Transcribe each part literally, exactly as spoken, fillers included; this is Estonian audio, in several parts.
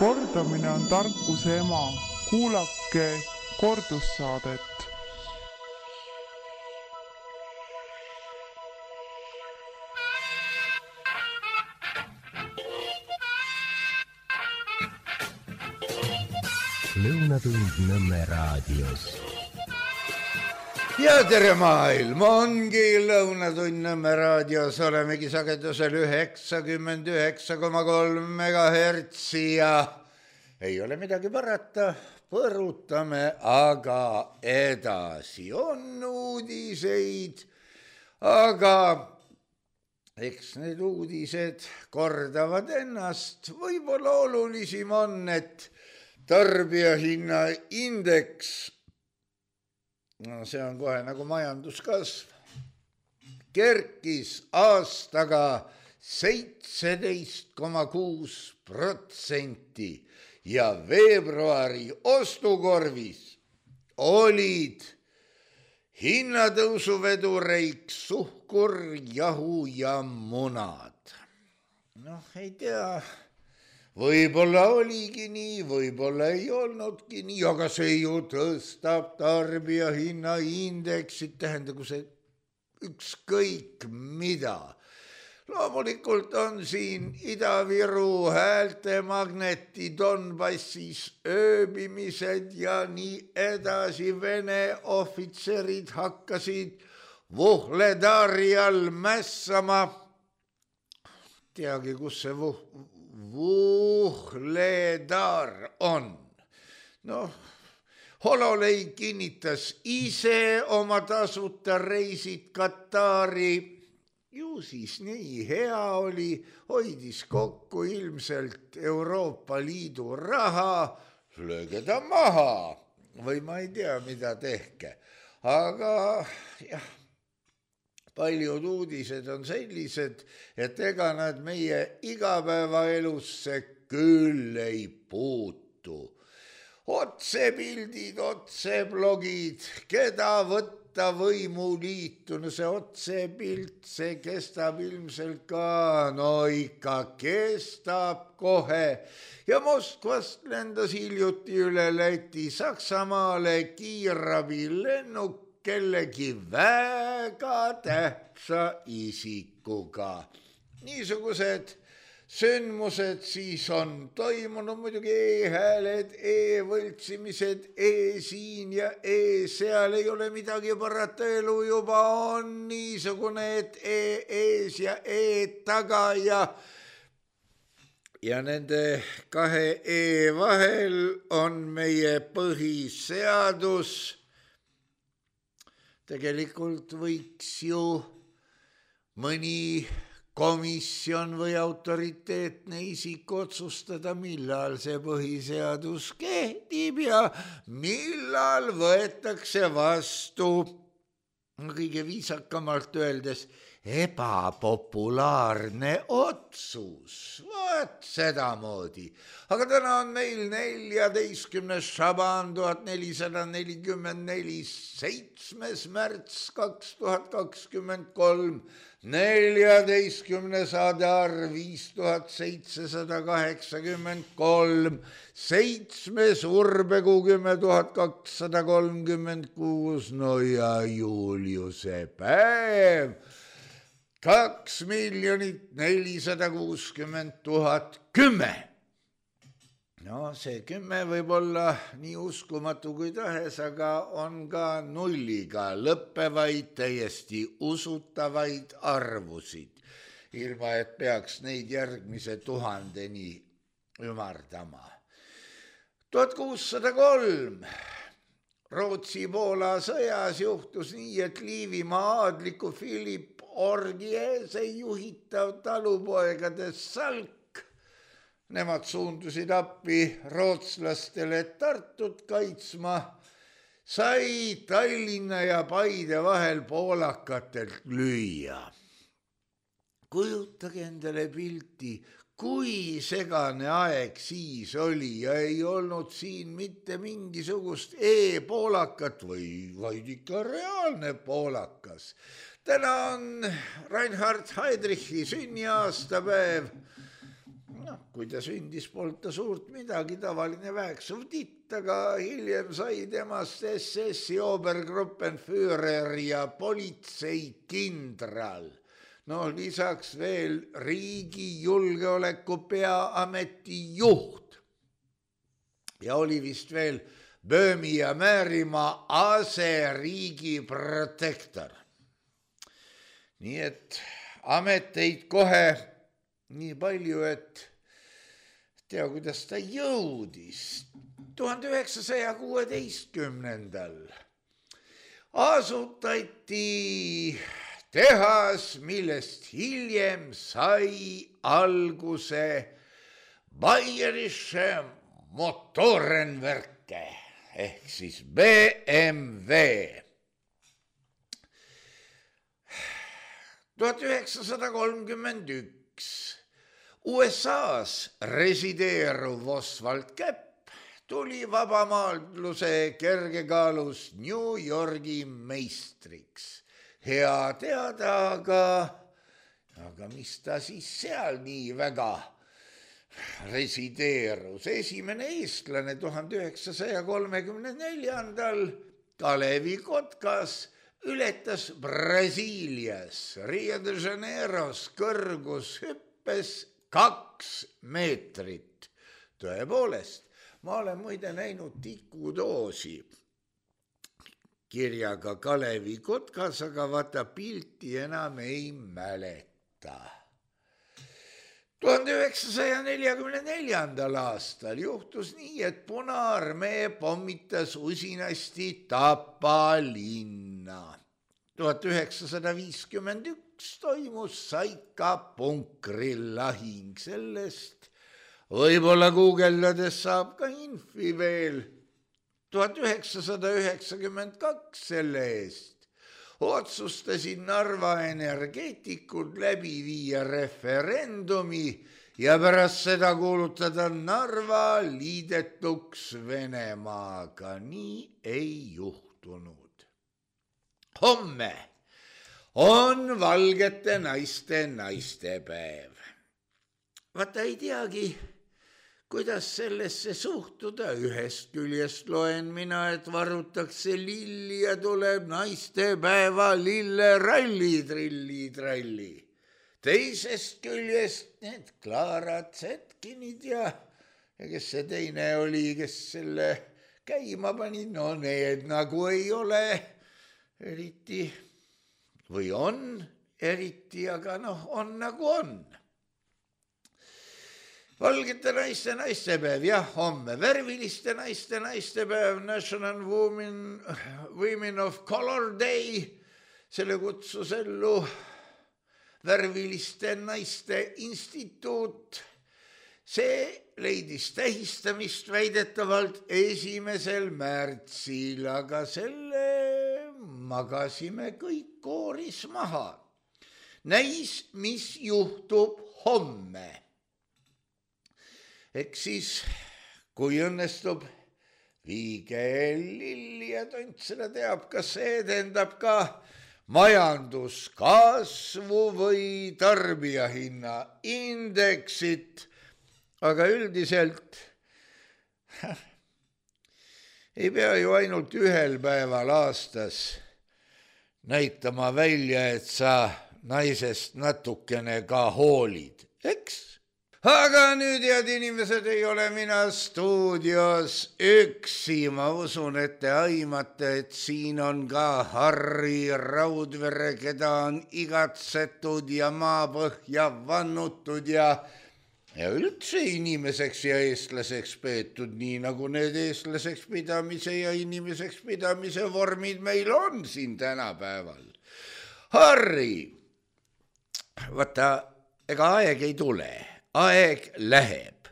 Kordamine on tarkuse ema. Kuulake kordussaadet. Lõunatund Nõmme raadios. Ja tere maailm, ongi Lõunatund Nõmme raadios, olemegi sagedusel üheksakümmend üheksa koma kolm megahertsi ja ei ole midagi parata, põrutame aga edasi. On uudiseid, aga eks need uudised kordavad ennast. Võib-olla olulisim on, et tarbijahinna indeks, no see on kohe nagu majanduskasv, kerkis aastaga seitseteist koma kuus protsenti ja veebruari ostukorvis olid hinnatõusuvedureiks suhkur, jahu ja munad. Noh, ei tea, võib-olla oligi nii, võib-olla ei olnudki nii, aga see ju tõstab tarbijahinna indeksit, tähendagu see ükskõik mida. Loomulikult on siin Ida-Viru häältemagneti Donbassis ööbimised ja nii edasi. Vene ohvitserid hakkasid Vuhledarjal mässama. Teagi, kus see vuh... Vuhledar on. Noh, Hololei kinnitas ise oma tasuta reisid Katari. Ju siis nii hea oli, hoidis kokku ilmselt Euroopa Liidu raha, lööge ta maha või ma ei tea, mida tehke. Aga jah, paljud uudised on sellised, et ega nad meie igapäevaelusse küll ei puutu. Otsepildid, otseblogid, keda võtta võimuliitu, no see otsepilt, see kestab ilmselt ka, no ikka kestab kohe. Ja Moskvast lendas hiljuti üle Läti Saksamaale kiirrabilennuk kellegi väga tähtsa isikuga. Niisugused sündmused siis on toimunud, muidugi e-hääled, e-võltsimised, e-siin ja e-seal, ei ole midagi parata, elu juba on niisugune, et e-ees ja e-taga ja ja nende kahe e vahel on meie põhiseadus. Tegelikult võiks ju mõni komisjon või autoriteetne isik otsustada, millal see põhiseadus kehtib ja millal võetakse vastu, kõige viisakamalt öeldes, ebapopulaarne otsus. Vaat sedamoodi. Aga täna on meil neljateistkümnes Šaban tuhat nelisada nelikümmend neli, seitsmes märts kaks tuhat kakskümmend kolm, neljateistkümnes Adar viis tuhat seitsesada kaheksakümmend kolm, seitsmes Urbekuu kümme tuhat kakssada kolmkümmend kuus, no ja Juliuse päev, kaks miljonit nelisada kuuskümmend tuhat kümme. No see kümme võib olla nii uskumatu kui tahes, aga on ka nulliga lõppevaid, täiesti usutavaid arvusid, ilma et peaks neid järgmise tuhandeni ümardama. tuhat kuussada kolm. Rootsi-Poola sõjas juhtus nii, et Liivimaa aadliku Philip Orgiese juhitav talupoegade salk, nemad suundusid appi rootslastele Tartut kaitsma, sai Tallinna ja Paide vahel poolakatelt lüüa. Kujutage endale pilti, kui segane aeg siis oli ja ei olnud siin mitte mingisugust e-poolakat või vaid ikka reaalne poolakas. Täna on Reinhard Heydrichi sünniaastapäev. noh, kui ta sündis, polnud ta suurt midagi, tavaline väeksuv titt, aga hiljem sai temast S S-i Obergruppenführer ja politseikindral. No lisaks veel riigi julgeoleku peaameti juht. Ja oli vist veel Böömi ja Määrimaa aseriigi protektor. Nii et ameteid kohe nii palju, et tea, kuidas ta jõudis. tuhande üheksasaja kuueteistkümnendal asutati tehas, millest hiljem sai alguse Bayerische Motorenwerke ehk siis B M W. tuhat üheksasada kolmkümmend üks U S A-s resideeruv Oswald Käpp tuli vabamaadluse kergekaalus New Yorgi meistriks. Hea teada, aga, aga mis ta siis seal nii väga resideerus? Esimene eestlane tuhande üheksasaja kolmekümne neljandal Kalevi Kotkas ületas Brasiilias Rio de Janeiros kõrgushüppes kaks meetrit. Tõepoolest, ma olen muide näinud tikudoosi kirjaga Kalevi Kotkas, aga vaata pilti enam ei mäleta. tuhande üheksasaja neljakümne neljandal aastal juhtus nii, et Punaarmee pommitas usinasti Tapa linna. tuhat üheksasada viiskümmend üks toimus Saika punkrillahing. Sellest võib-olla guugeldades saab ka infi veel. tuhat üheksasada üheksakümmend kaks selle eest otsustasid Narva energeetikud läbi viia referendumi ja pärast seda kuulutada Narva liidetuks Venemaaga. Nii ei juhtunud. Homme on valgete naiste naistepäev. Vaata ei teagi, kuidas sellesse suhtuda. Ühest küljest loen mina, et varutakse lilli ja tuleb naistepäeva lilleralli, trilli, tralli. Teisest küljest need Klaarad Zetkinid ja, ja kes see teine oli, kes selle käima pani, no need nagu ei ole eriti või on eriti, aga noh, on nagu on. Valgete naiste naistepäev, jah, homme. Värviliste naiste naistepäev, National Women, Women of Color Day, selle kutsus ellu Värviliste naiste instituut. See leidis tähistamist väidetavalt esimesel märtsil, aga selle magasime kõik kooris maha. Näis, mis juhtub homme. Eks siis, kui õnnestub, viige lilli ja tont seda teab, kas see edendab ka majanduskasvu või tarbijahinna indeksit, aga üldiselt ei pea ju ainult ühel päeval aastas näitama välja, et sa naisest natukene ka hoolid, eks? Aga nüüd, head inimesed, ei ole mina stuudios üksi. Ma usun, et te aimate, et siin on ka Harri Raudvere, keda on igatsetud ja maapõhja vannutud ja, ja üldse inimeseks ja eestlaseks peetud, nii nagu need eestlaseks pidamise ja inimeseks pidamise vormid meil on siin tänapäeval. Harri, vaata, ega aeg ei tule. Aeg läheb.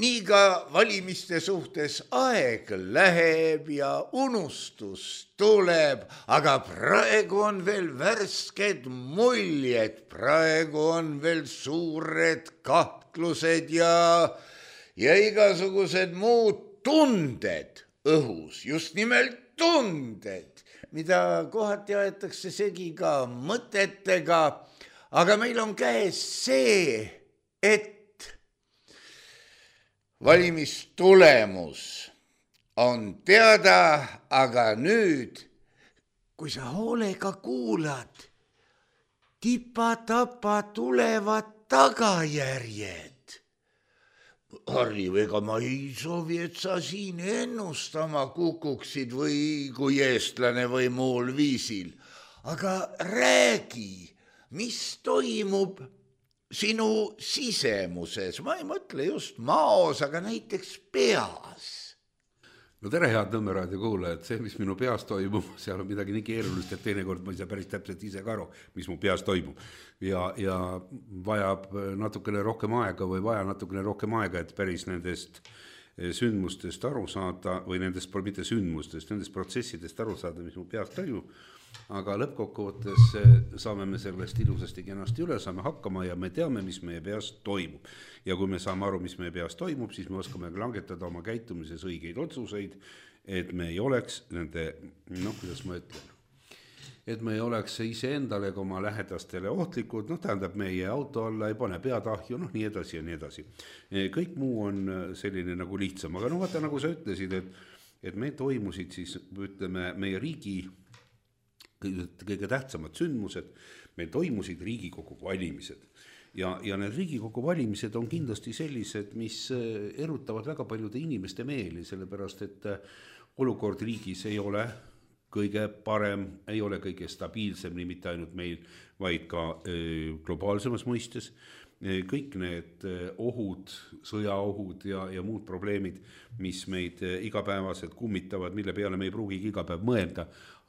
Nii ka valimiste suhtes aeg läheb ja unustus tuleb, aga praegu on veel värsked muljed, praegu on veel suured kahtlused ja, ja igasugused muud tunded õhus, just nimelt tunded, mida kohati aetakse segi ka mõtetega, aga meil on käes see, et valimistulemus on teada, aga nüüd, kui sa hoolega kuulad, tipa-tapa tulevad tagajärjed. Harri, ega ma ei soovi, et sa siin ennustama kukuksid või kui eestlane või muul viisil. Aga räägi, mis toimub sinu sisemuses. Ma ei mõtle just maos, aga näiteks peas. No tere, head Nõmme raadio kuulajad, see, mis minu peas toimub, seal on midagi nii keerulist, et teinekord ma ei saa päris täpselt ise ka aru, mis mu peas toimub. Ja, ja vajab natukene rohkem aega või vaja natukene rohkem aega, et päris nendest sündmustest aru saada või nendest, mitte sündmustest, nendest protsessidest aru saada, mis mu peas toimub. Aga lõppkokkuvõttes saame me sellest ilusasti kenasti üle, saame hakkama ja me teame, mis meie peas toimub. Ja kui me saame aru, mis meie peas toimub, siis me oskame langetada oma käitumises õigeid otsuseid, et me ei oleks nende, noh, kuidas ma ütlen, et me ei oleks ise endale ega oma lähedastele ohtlikud, noh, tähendab meie auto alla ei pane peatahju, noh, nii edasi ja nii edasi. Kõik muu on selline nagu lihtsam, aga no vaata, nagu sa ütlesid, et, et me toimusid siis, ütleme, meie riigi kõige tähtsamad sündmused, meil toimusid Riigikogu valimised ja, ja need Riigikogu valimised on kindlasti sellised, mis erutavad väga paljude inimeste meeli, sellepärast et olukord riigis ei ole kõige parem, ei ole kõige stabiilsem, nii mitte ainult meil, vaid ka globaalsemas mõistes. Kõik need ohud, sõjaohud ja, ja muud probleemid, mis meid igapäevaselt kummitavad, mille peale me ei pruugigi iga päev mõelda,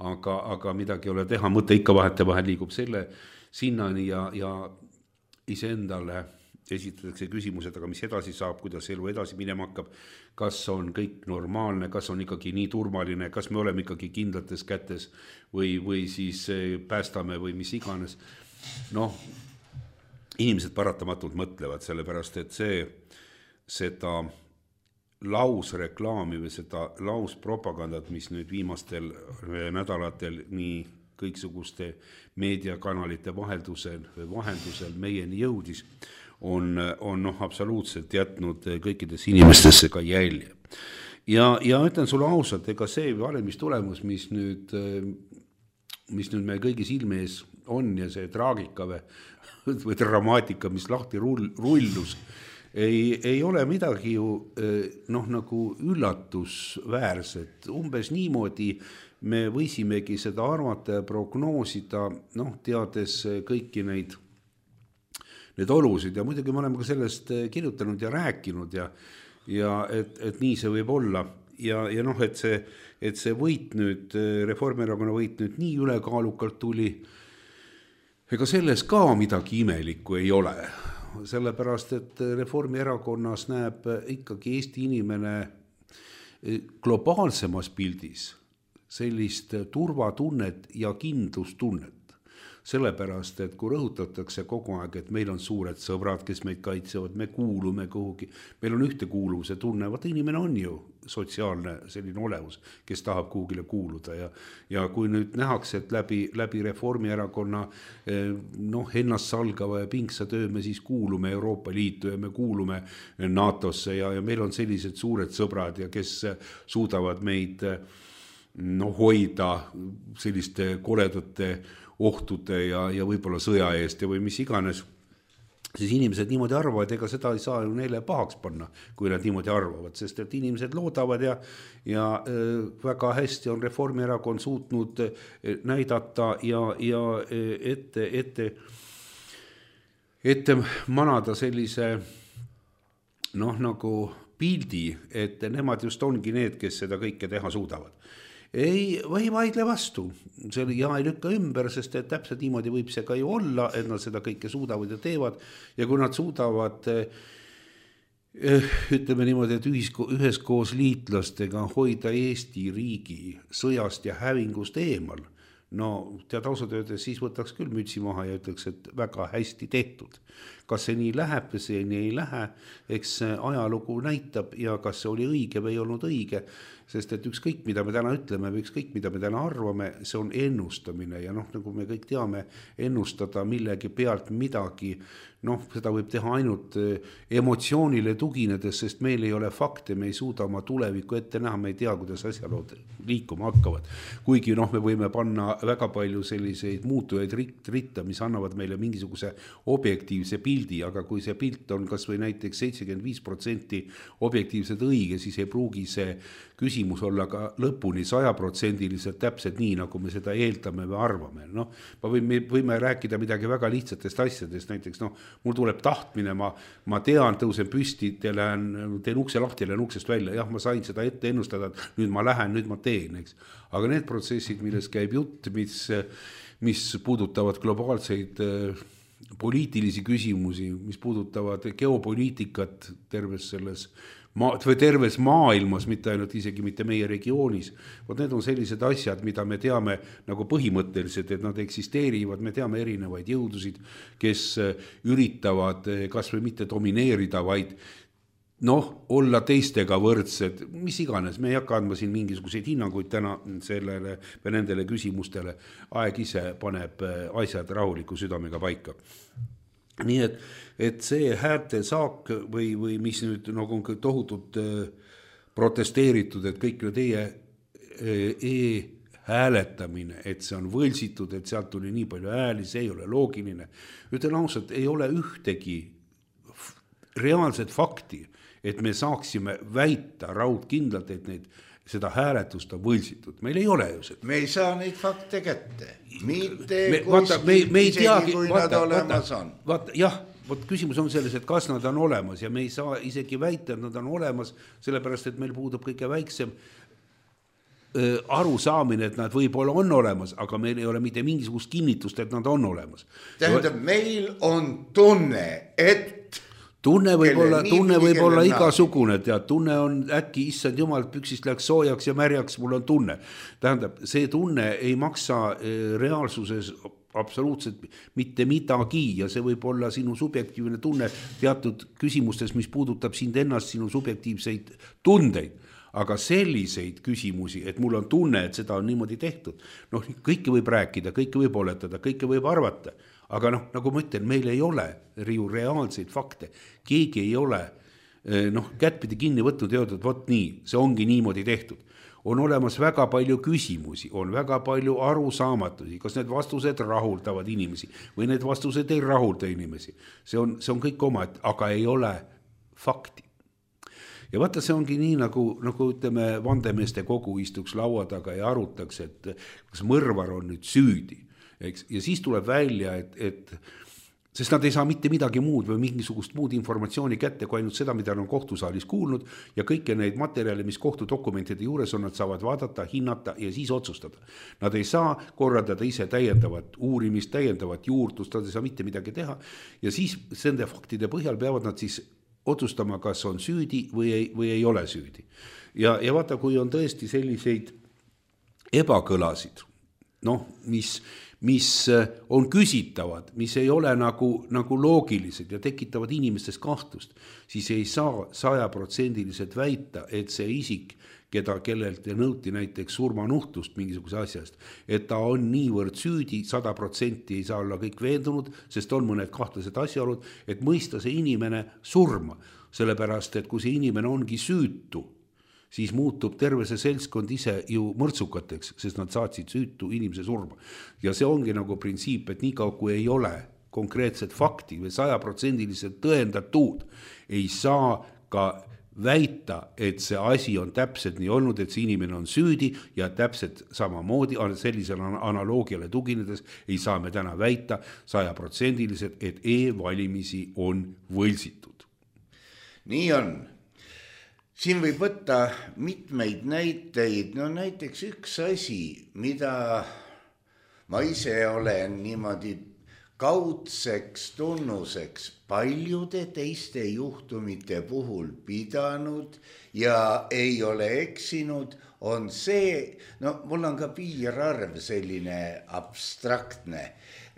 aga, aga midagi ei ole teha, mõte ikka vahete vahel liigub selle sinnani ja, ja iseendale esitatakse küsimused, aga mis edasi saab, kuidas elu edasi minema hakkab, kas on kõik normaalne, kas on ikkagi nii turvaline, kas me oleme ikkagi kindlates kätes või, või siis päästame või mis iganes. Noh, inimesed paratamatult mõtlevad, sellepärast et see, seda lausreklaami või seda lauspropagandat, mis nüüd viimastel nädalatel nii kõiksuguste meediakanalite vaheldusel, vahendusel meieni jõudis, on, on noh, absoluutselt jätnud kõikides inimestesse ka jälje. Ja, ja ütlen sulle ausalt, ega see valimistulemus, mis nüüd, mis nüüd meie kõigi silme ees on ja see traagika või, või dramaatika, mis lahti rull, rullus, ei, ei ole midagi ju noh, nagu üllatusväärset. Umbes niimoodi me võisimegi seda arvata ja prognoosida, noh, teades kõiki neid, need olusid ja muidugi me oleme ka sellest kirjutanud ja rääkinud ja, ja et, et nii see võib olla. Ja, ja noh, et see, et see võit nüüd, Reformierakonna võit nüüd nii ülekaalukalt tuli, ega selles ka midagi imelikku ei ole. Sellepärast, et Reformierakonnas näeb ikkagi Eesti inimene globaalsemas pildis sellist turvatunnet ja kindlustunnet. Sellepärast, et kui rõhutatakse kogu aeg, et meil on suured sõbrad, kes meid kaitsevad, me kuulume kuhugi, meil on ühtekuuluvuse tunne, vaata inimene on ju sotsiaalne selline olevus, kes tahab kuhugile kuuluda ja, ja kui nüüd nähakse, et läbi, läbi Reformierakonna noh, ennast salgava ja pingsa töö me siis kuulume Euroopa Liitu ja me kuulume NATOsse ja, ja meil on sellised suured sõbrad ja kes suudavad meid no, hoida selliste koledate ohtude ja, ja võib-olla sõja eest ja või mis iganes, siis inimesed niimoodi arvavad, ega seda ei saa ju neile pahaks panna, kui nad niimoodi arvavad, sest et inimesed loodavad ja, ja väga hästi on Reformierakond suutnud näidata ja, ja ette, ette, ette manada sellise noh, nagu pildi, et nemad just ongi need, kes seda kõike teha suudavad. Ei, või vaidle vastu, see ja ei lükka ümber, sest et täpselt niimoodi võib see ka ju olla, et nad seda kõike suudavad ja teevad ja kui nad suudavad ütleme niimoodi, et ühisko, üheskoos liitlastega hoida Eesti riigi sõjast ja hävingust eemal, no tead ausalt öeldes, siis võtaks küll mütsi maha ja ütleks, et väga hästi tehtud. kas see nii läheb või see nii ei lähe, eks ajalugu näitab ja kas see oli õige või ei olnud õige, sest et ükskõik, mida me täna ütleme või ükskõik, mida me täna arvame, see on ennustamine ja noh, nagu me kõik teame, ennustada millegi pealt midagi, noh, seda võib teha ainult emotsioonile tuginedes, sest meil ei ole fakte, me ei suuda oma tulevikku ette näha, me ei tea, kuidas asjalood liikuma hakkavad. Kuigi noh, me võime panna väga palju selliseid muutujaid ritta, mis annavad meile mingisuguse objektiivse pildi, aga kui see pilt on kas või näiteks seitsekümmend viis protsenti objektiivselt õige, siis ei pruugi see küsimus olla ka lõpuni sajaprotsendiliselt täpselt nii, nagu me seda eeldame või arvame. Noh, me võime rääkida midagi väga lihtsatest asjadest, näiteks noh, mul tuleb tahtmine, ma, ma tean, tõusen püsti, lähen, teen ukse lahti, lähen uksest välja, jah, ma sain seda ette ennustada, et nüüd ma lähen, nüüd ma teen, eks. Aga need protsessid, milles käib jutt, mis, mis puudutavad globaalseid poliitilisi küsimusi, mis puudutavad geopoliitikat terves selles Ma, või terves maailmas, mitte ainult isegi mitte meie regioonis. Vot need on sellised asjad, mida me teame nagu põhimõtteliselt, et nad eksisteerivad, me teame erinevaid jõudusid, kes üritavad kas või mitte domineerida, vaid noh, olla teistega võrdsed, mis iganes, me ei hakka andma siin mingisuguseid hinnanguid täna sellele või nendele küsimustele, aeg ise paneb asjad rahuliku südamega paika. Nii et, et see häälte saak või, või mis nüüd nagu on tohutult protesteeritud, et kõik teie e-hääletamine, et see on võlsitud, et sealt tuli nii palju hääli, see ei ole loogiline. Ütlen ausalt, ei ole ühtegi reaalset fakti, et me saaksime väita raudkindlalt, et neid seda hääletust on võlsitud. Meil ei ole ju seda. Me ei saa neid fakte kätte. Mitte me, vaata, me, me ei teagi, kui vaata, nad olemas vaata, on. Vaata, jah, võt, küsimus on selles, et kas nad on olemas ja me ei saa isegi väita, et nad on olemas, sellepärast, et meil puudub kõige väiksem äh, arusaamine, et nad võib-olla on olemas, aga meil ei ole mitte mingisugust kinnitust, et nad on olemas. Tähendab, meil on tunne, et Tunne võib olla, tunne võib olla igasugune, tead, tunne on äkki, issand jumal, püksist läks soojaks ja märjaks, mul on tunne. Tähendab, see tunne ei maksa reaalsuses absoluutselt mitte midagi ja see võib olla sinu subjektiivne tunne teatud küsimustes, mis puudutab sind ennast, sinu subjektiivseid tundeid. Aga selliseid küsimusi, et mul on tunne, et seda on niimoodi tehtud, noh, kõike võib rääkida, kõike võib oletada, kõike võib arvata. Aga noh, nagu ma ütlen, meil ei ole ju reaalseid fakte. Keegi ei ole noh, kättpidi kinni võtnud ja öeldud, vot nii, see ongi niimoodi tehtud. On olemas väga palju küsimusi, on väga palju arusaamatusi, kas need vastused rahuldavad inimesi või need vastused ei rahulda inimesi. See on, see on kõik oma, aga ei ole fakti. Ja vaata, see ongi nii, nagu, nagu ütleme, vandemeeste kogu istuks laua taga ja arutaks, et kas mõrvar on nüüd süüdi. Eks? Ja siis tuleb välja, et, et sest nad ei saa mitte midagi muud või mingisugust muud informatsiooni kätte, kui ainult seda, mida on kohtusaalis kuulnud ja kõike neid materjale, mis kohtudokumentide juures on, nad saavad vaadata, hinnata ja siis otsustada. Nad ei saa korraldada ise täiendavat uurimist, täiendavat juurdlust, nad ei saa mitte midagi teha ja siis sende faktide põhjal peavad nad siis otsustama, kas on süüdi või ei, või ei ole süüdi. Ja, ja vaata, kui on tõesti selliseid ebakõlasid, noh, mis mis on küsitavad, mis ei ole nagu, nagu loogilised ja tekitavad inimestes kahtlust, siis ei saa sajaprotsendiliselt väita, et see isik, keda kellelt nõuti näiteks surmanuhtlust mingisuguse asjast, et ta on niivõrd süüdi, sada protsenti ei saa olla kõik veendunud, sest on mõned kahtlased asjaolud, et mõista see inimene surma, sellepärast, et kui see inimene ongi süütu, siis muutub terve see seltskond ise ju mõrtsukateks, sest nad saatsid süütu inimese surma. Ja see ongi nagu printsiip, et nii kaua kui ei ole konkreetset fakti või sajaprotsendiliselt tõendatud, ei saa ka väita, et see asi on täpselt nii olnud, et see inimene on süüdi ja täpselt samamoodi sellisele analoogiale tuginedes ei saa me täna väita sajaprotsendiliselt, et e-valimisi on võlsitud. Nii on. Siin võib võtta mitmeid näiteid, no näiteks üks asi, mida ma ise olen niimoodi kaudseks tunnuseks paljude teiste juhtumite puhul pidanud ja ei ole eksinud, on see, no mul on ka piirarv selline abstraktne,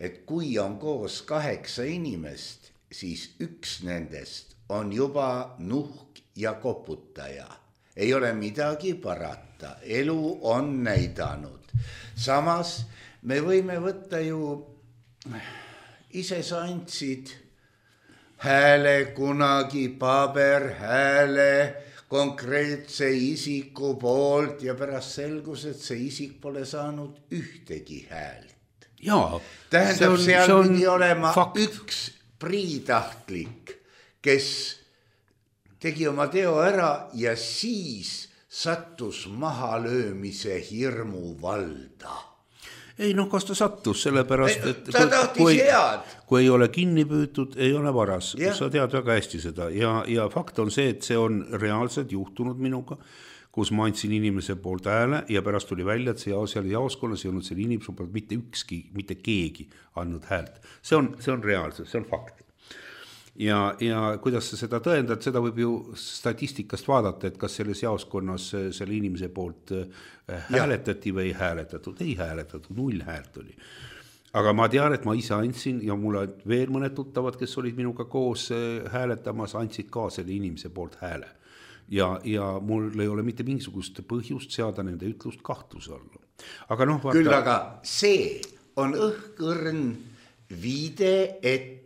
et kui on koos kaheksa inimest siis üks nendest on juba nuhk ja koputaja. Ei ole midagi parata, elu on näidanud. Samas me võime võtta ju, ise sa andsid hääle kunagi, paber hääle konkreetse isiku poolt ja pärast selgus, et see isik pole saanud ühtegi häält. Jaa, tähendab, on, seal pidi olema fakt. Üks priitahtlik, kes tegi oma teo ära ja siis sattus mahalöömise hirmu valda. Ei noh, kas ta sattus, sellepärast, et ta tahtis kui, head. Kui ei ole kinni püütud, ei ole varas. Ja. Sa tead väga hästi seda ja, ja fakt on see, et see on reaalselt juhtunud minuga, kus ma andsin inimese poolt hääle ja pärast tuli välja, et see seal jaoskonnas ei olnud selle inimese poolt mitte ükski, mitte keegi andnud häält. See on, see on reaalselt, see on fakt. Ja, ja kuidas sa seda tõendad, seda võib ju statistikast vaadata, et kas selles jaoskonnas selle inimese poolt hääletati või ei hääletatud. Ei hääletatud, null häält oli. Aga ma tean, et ma ise andsin ja mulle veel mõned tuttavad, kes olid minuga koos hääletamas, andsid ka selle inimese poolt hääle. Ja, ja mul ei ole mitte mingisugust põhjust seada nende ütlust kahtluse alla. Aga noh, vaata... Küll aga see on õhkõrn viide, et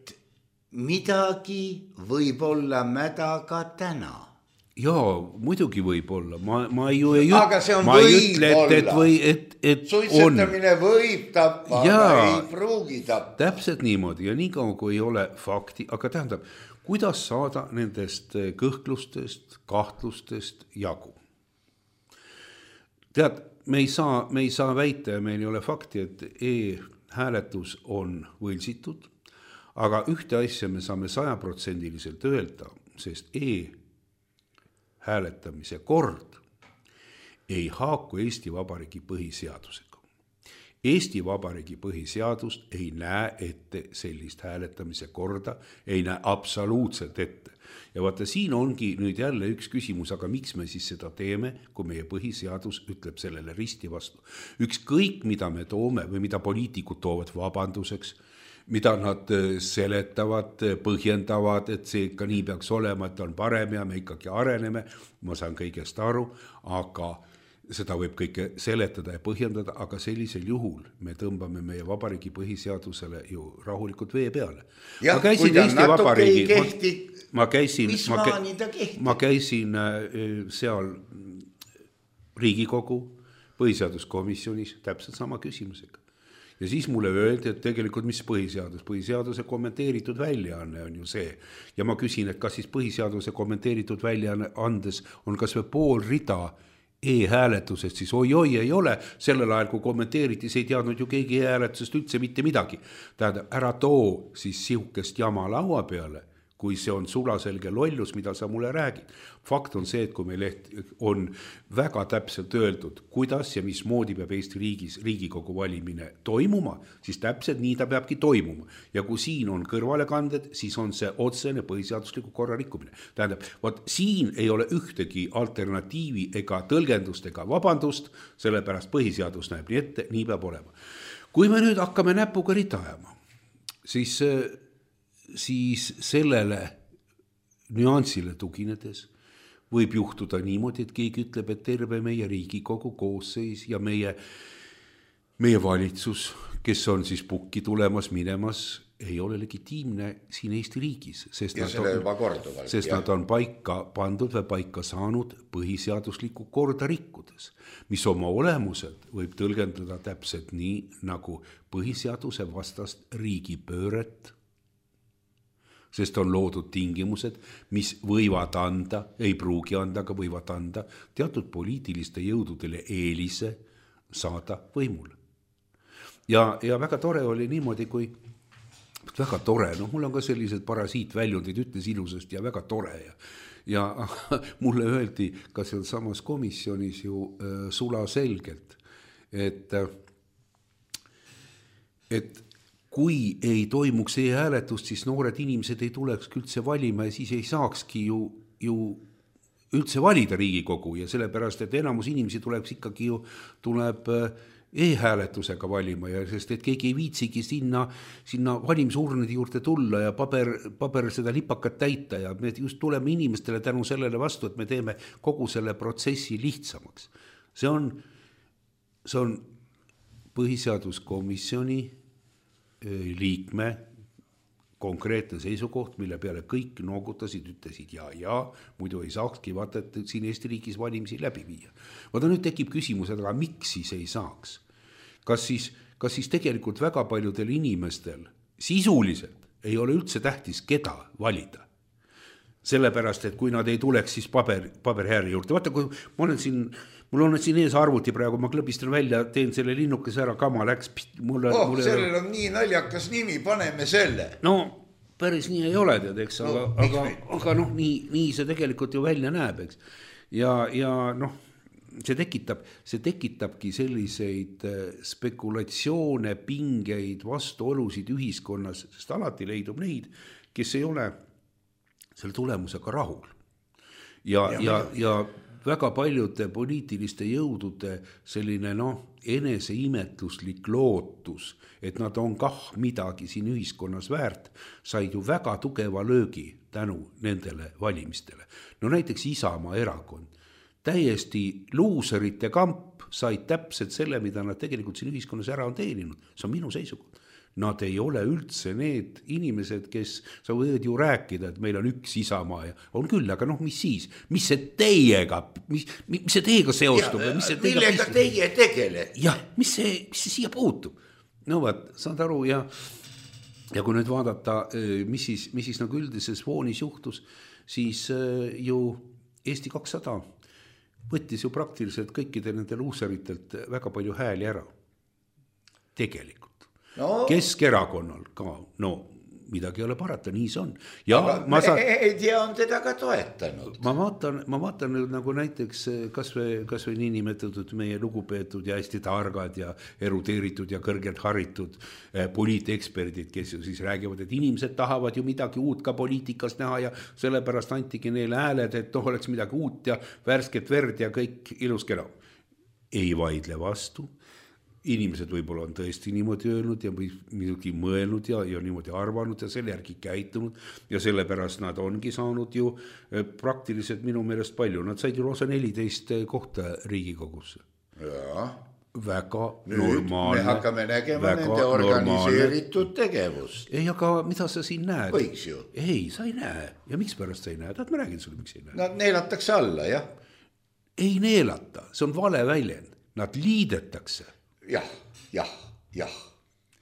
midagi võib olla mäda ka täna. Jaa, muidugi võib olla. Ma, ma ju ei, aga see on ma võib ei ütle, et, et, või, et, et suitsetamine on. Võib tappa, aga ei pruugi tappa. Täpselt niimoodi ja nii kaua, kui ei ole fakti, aga tähendab, kuidas saada nendest kõhklustest, kahtlustest jagu? Tead, me ei saa, me ei saa väita ja meil ei ole fakti, et e-hääletus on võlsitud. Aga ühte asja me saame sajaprotsendiliselt öelda, sest e-hääletamise kord ei haaku Eesti Vabariigi põhiseadusega. Eesti Vabariigi põhiseadust ei näe ette sellist hääletamise korda, ei näe absoluutselt ette. Ja vaata, siin ongi nüüd jälle üks küsimus, aga miks me siis seda teeme, kui meie põhiseadus ütleb sellele risti vastu. Ükskõik, mida me toome või mida poliitikud toovad vabanduseks, mida nad seletavad, põhjendavad, et see ikka nii peaks olema, et on parem ja me ikkagi areneme, ma saan kõigest aru, aga seda võib kõike seletada ja põhjendada, aga sellisel juhul me tõmbame meie vabariigi põhiseadusele ju rahulikult vee peale. Ja, ma käisin Eesti Vabariigi, kehti, ma, ma käisin, ma, ma käisin seal Riigikogu põhiseaduskomisjonis täpselt sama küsimusega. Ja siis mulle öeldi, et tegelikult mis põhiseadus, põhiseaduse kommenteeritud väljaanne on ju see. Ja ma küsin, et kas siis põhiseaduse kommenteeritud väljaanne andes on kas või pool rida e-hääletusest, siis oi-oi ei ole. Sellel ajal, kui kommenteeriti, see ei teadnud ju keegi e-hääletusest üldse mitte midagi. Tähendab, ära too siis sihukest jama laua peale, kui see on sulaselge lollus, mida sa mulle räägid. Fakt on see, et kui meil on väga täpselt öeldud, kuidas ja mismoodi peab Eesti riigis Riigikogu valimine toimuma, siis täpselt nii ta peabki toimuma. Ja kui siin on kõrvalekanded, siis on see otsene põhiseadusliku korra rikkumine. Tähendab, vaat siin ei ole ühtegi alternatiivi ega tõlgendust ega vabandust, sellepärast põhiseadus näeb nii ette, nii peab olema. Kui me nüüd hakkame näpuga rita ajama, siis... siis sellele nüansile tuginedes võib juhtuda niimoodi, et keegi ütleb, et terve meie Riigikogu koosseis ja meie, meie valitsus, kes on siis pukki tulemas, minemas, ei ole legitiimne siin Eesti riigis, sest, nad on, sest nad on paika pandud või paika saanud põhiseaduslikku korda rikkudes, mis oma olemuselt võib tõlgendada täpselt nii, nagu põhiseaduse vastast riigipööret, sest on loodud tingimused, mis võivad anda, ei pruugi anda, aga võivad anda teatud poliitiliste jõududele eelise saada võimule. Ja, ja väga tore oli niimoodi, kui väga tore, noh mul on ka sellised parasiitväljundid, ütles ilusasti ja väga tore ja, ja mulle öeldi ka seal samas komisjonis ju äh, sula selgelt, et, et kui ei toimuks e-hääletust, siis noored inimesed ei tuleks üldse valima ja siis ei saakski ju, ju üldse valida Riigikogu ja sellepärast, et enamus inimesi tuleks ikkagi ju, tuleb e-hääletusega valima ja sest et keegi ei viitsigi sinna, sinna valimisurnide juurde tulla ja paber, paber seda lipakat täita ja me just tuleme inimestele tänu sellele vastu, et me teeme kogu selle protsessi lihtsamaks. See on, see on põhiseaduskomisjoni liikme konkreetne seisukoht, mille peale kõik noogutasid, ütlesid ja, ja, muidu ei saakski vaata, et siin Eesti riigis valimisi läbi viia. Vaata nüüd tekib küsimus, aga miks siis ei saaks? Kas siis, kas siis tegelikult väga paljudel inimestel sisuliselt ei ole üldse tähtis, keda valida? Sellepärast, et kui nad ei tuleks siis paber, paberhääri juurde. Vaata, kui ma olen siin, mul on siin ees arvuti praegu, ma klõbistan välja, teen selle linnukese ära, kama läks. Mulle, oh, mulle sellel on nii naljakas nimi, paneme selle. No, päris nii ei ole, tead, eks, aga, no, aga, aga noh, nii, nii see tegelikult ju välja näeb, eks. Ja, ja noh, see tekitab, see tekitabki selliseid spekulatsioone, pingeid, vastuolusid ühiskonnas, sest alati leidub neid, kes ei ole selle tulemusega rahul. Ja, ja, ja, ja väga paljude poliitiliste jõudude selline noh, eneseimetluslik lootus, et nad on kah midagi siin ühiskonnas väärt, said ju väga tugeva löögi tänu nendele valimistele. No näiteks Isamaa erakond. Täiesti luuserite kamp said täpselt selle, mida nad tegelikult siin ühiskonnas ära on teeninud. See on minu seisukoht. Nad ei ole üldse need inimesed, kes sa võid ju rääkida, et meil on üks Isamaa ja on küll, aga noh, mis siis? Mis see teiega, mis, mis see teiega seostub? Ja, mis see millega teie tegele? Jah, mis see, mis see siia puutub? No vaat, saad aru ja, ja kui nüüd vaadata, mis siis, mis siis nagu üldises foonis juhtus, siis ju Eesti kakssada võttis ju praktiliselt kõikide nende luuseritelt väga palju hääli ära. Tegelikult. No. Keskerakonnal ka, no midagi ei ole parata, nii see on. Ja aga ma saan... meedia on teda ka toetanud. Ma vaatan, ma vaatan nüüd nagu näiteks kas või, kas või nii nimetatud meie lugupeetud ja hästi targad ja erudeeritud ja kõrgelt haritud eh, poliiteksperdid, kes ju siis räägivad, et inimesed tahavad ju midagi uut ka poliitikas näha ja sellepärast antigi neile hääled, et noh, oleks midagi uut ja värsket verd ja kõik ilus kena. Ei vaidle vastu. Inimesed võib-olla on tõesti niimoodi öelnud ja midagi mõelnud ja, ja niimoodi arvanud ja selle järgi käitunud ja sellepärast nad ongi saanud ju praktiliselt minu meelest palju. Nad said ju lausa neliteist kohta Riigikogusse. Ja. Väga nüüd normaalne. Me hakkame nägema nende organiseeritud tegevust. Ei, aga mida sa siin näed? Võiks ju. Ei, sa ei näe. Ja miks pärast sa ei näe? Taad ma räägin sulle, miks ei näe? Nad neelatakse alla, jah? Ei neelata, see on vale väljend. Nad liidetakse. Jah, jah, jah,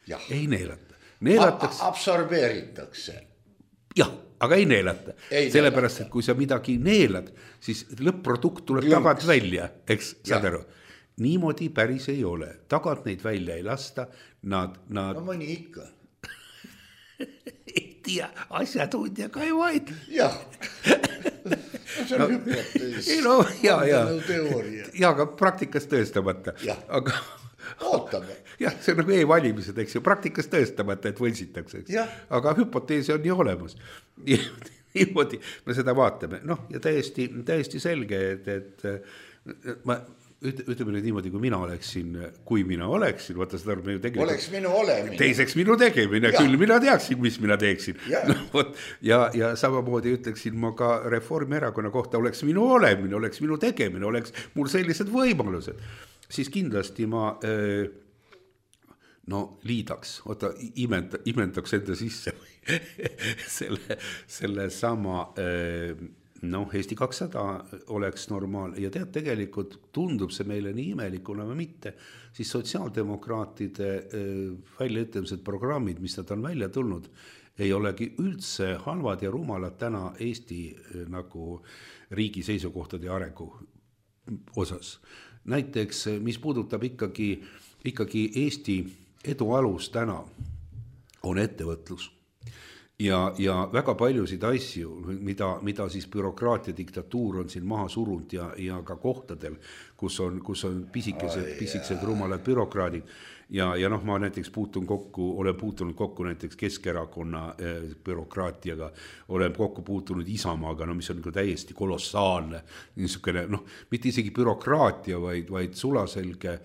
jah. Ei neelata. Neelatakse. A absorbeeritakse. Jah, aga ei neelata. Ei sellepärast, neelata. et kui sa midagi neelad, siis lõpp-produkt tuleb Jõnks. Tagant välja, eks, saad aru. Niimoodi päris ei ole. Tagant neid välja ei lasta. Nad, nad... No mõni ikka. ei tea, asjatundja ka ei vaid. Jah. See on no, hüpotees. No, ja, ja. Teooria. Ja, aga praktikas tõestamata. Ja. Aga... Ootame. Jah, see on nagu e-valimised, eks ju, praktikas tõestamata, et võlsitakse, eks. Aga hüpoteesi on ju olemas. Niimoodi me seda vaatame. Noh, ja täiesti, täiesti selge, et, et ma ütleme nüüd niimoodi, kui mina oleksin, kui mina oleksin, vaata seda me ju tegelikult... Oleks minu olemine. Teiseks minu tegemine, ja. Küll mina teaksin, mis mina teeksin. Ja, no, võt, ja, ja samamoodi ütleksin ma ka Reformierakonna kohta, oleks minu olemine, oleks minu tegemine, oleks mul sellised võimalused. Siis kindlasti ma no liidaks, oota, imenda, imendaks enda sisse selle, selle sama noh, Eesti kakssada oleks normaal ja tead, tegelikult tundub see meile nii imelikuna või mitte, siis sotsiaaldemokraatide väljaütlemised programmid, mis nad on välja tulnud, ei olegi üldse halvad ja rumalad täna Eesti nagu riigi seisukohtade ja arengu osas. Näiteks, mis puudutab ikkagi, ikkagi Eesti edu alus täna, on ettevõtlus. Ja, ja väga paljusid asju, mida, mida siis bürokraatia diktatuur on siin maha surunud ja, ja ka kohtadel, kus on, kus on pisikesed, pisikesed rumalad bürokraadid. Ja, ja noh, ma näiteks puutun kokku, olen puutunud kokku näiteks Keskerakonna eh, bürokraatiaga, olen kokku puutunud Isamaaga, no mis on nagu täiesti kolossaalne, niisugune, noh, mitte isegi bürokraatia, vaid, vaid sulaselge,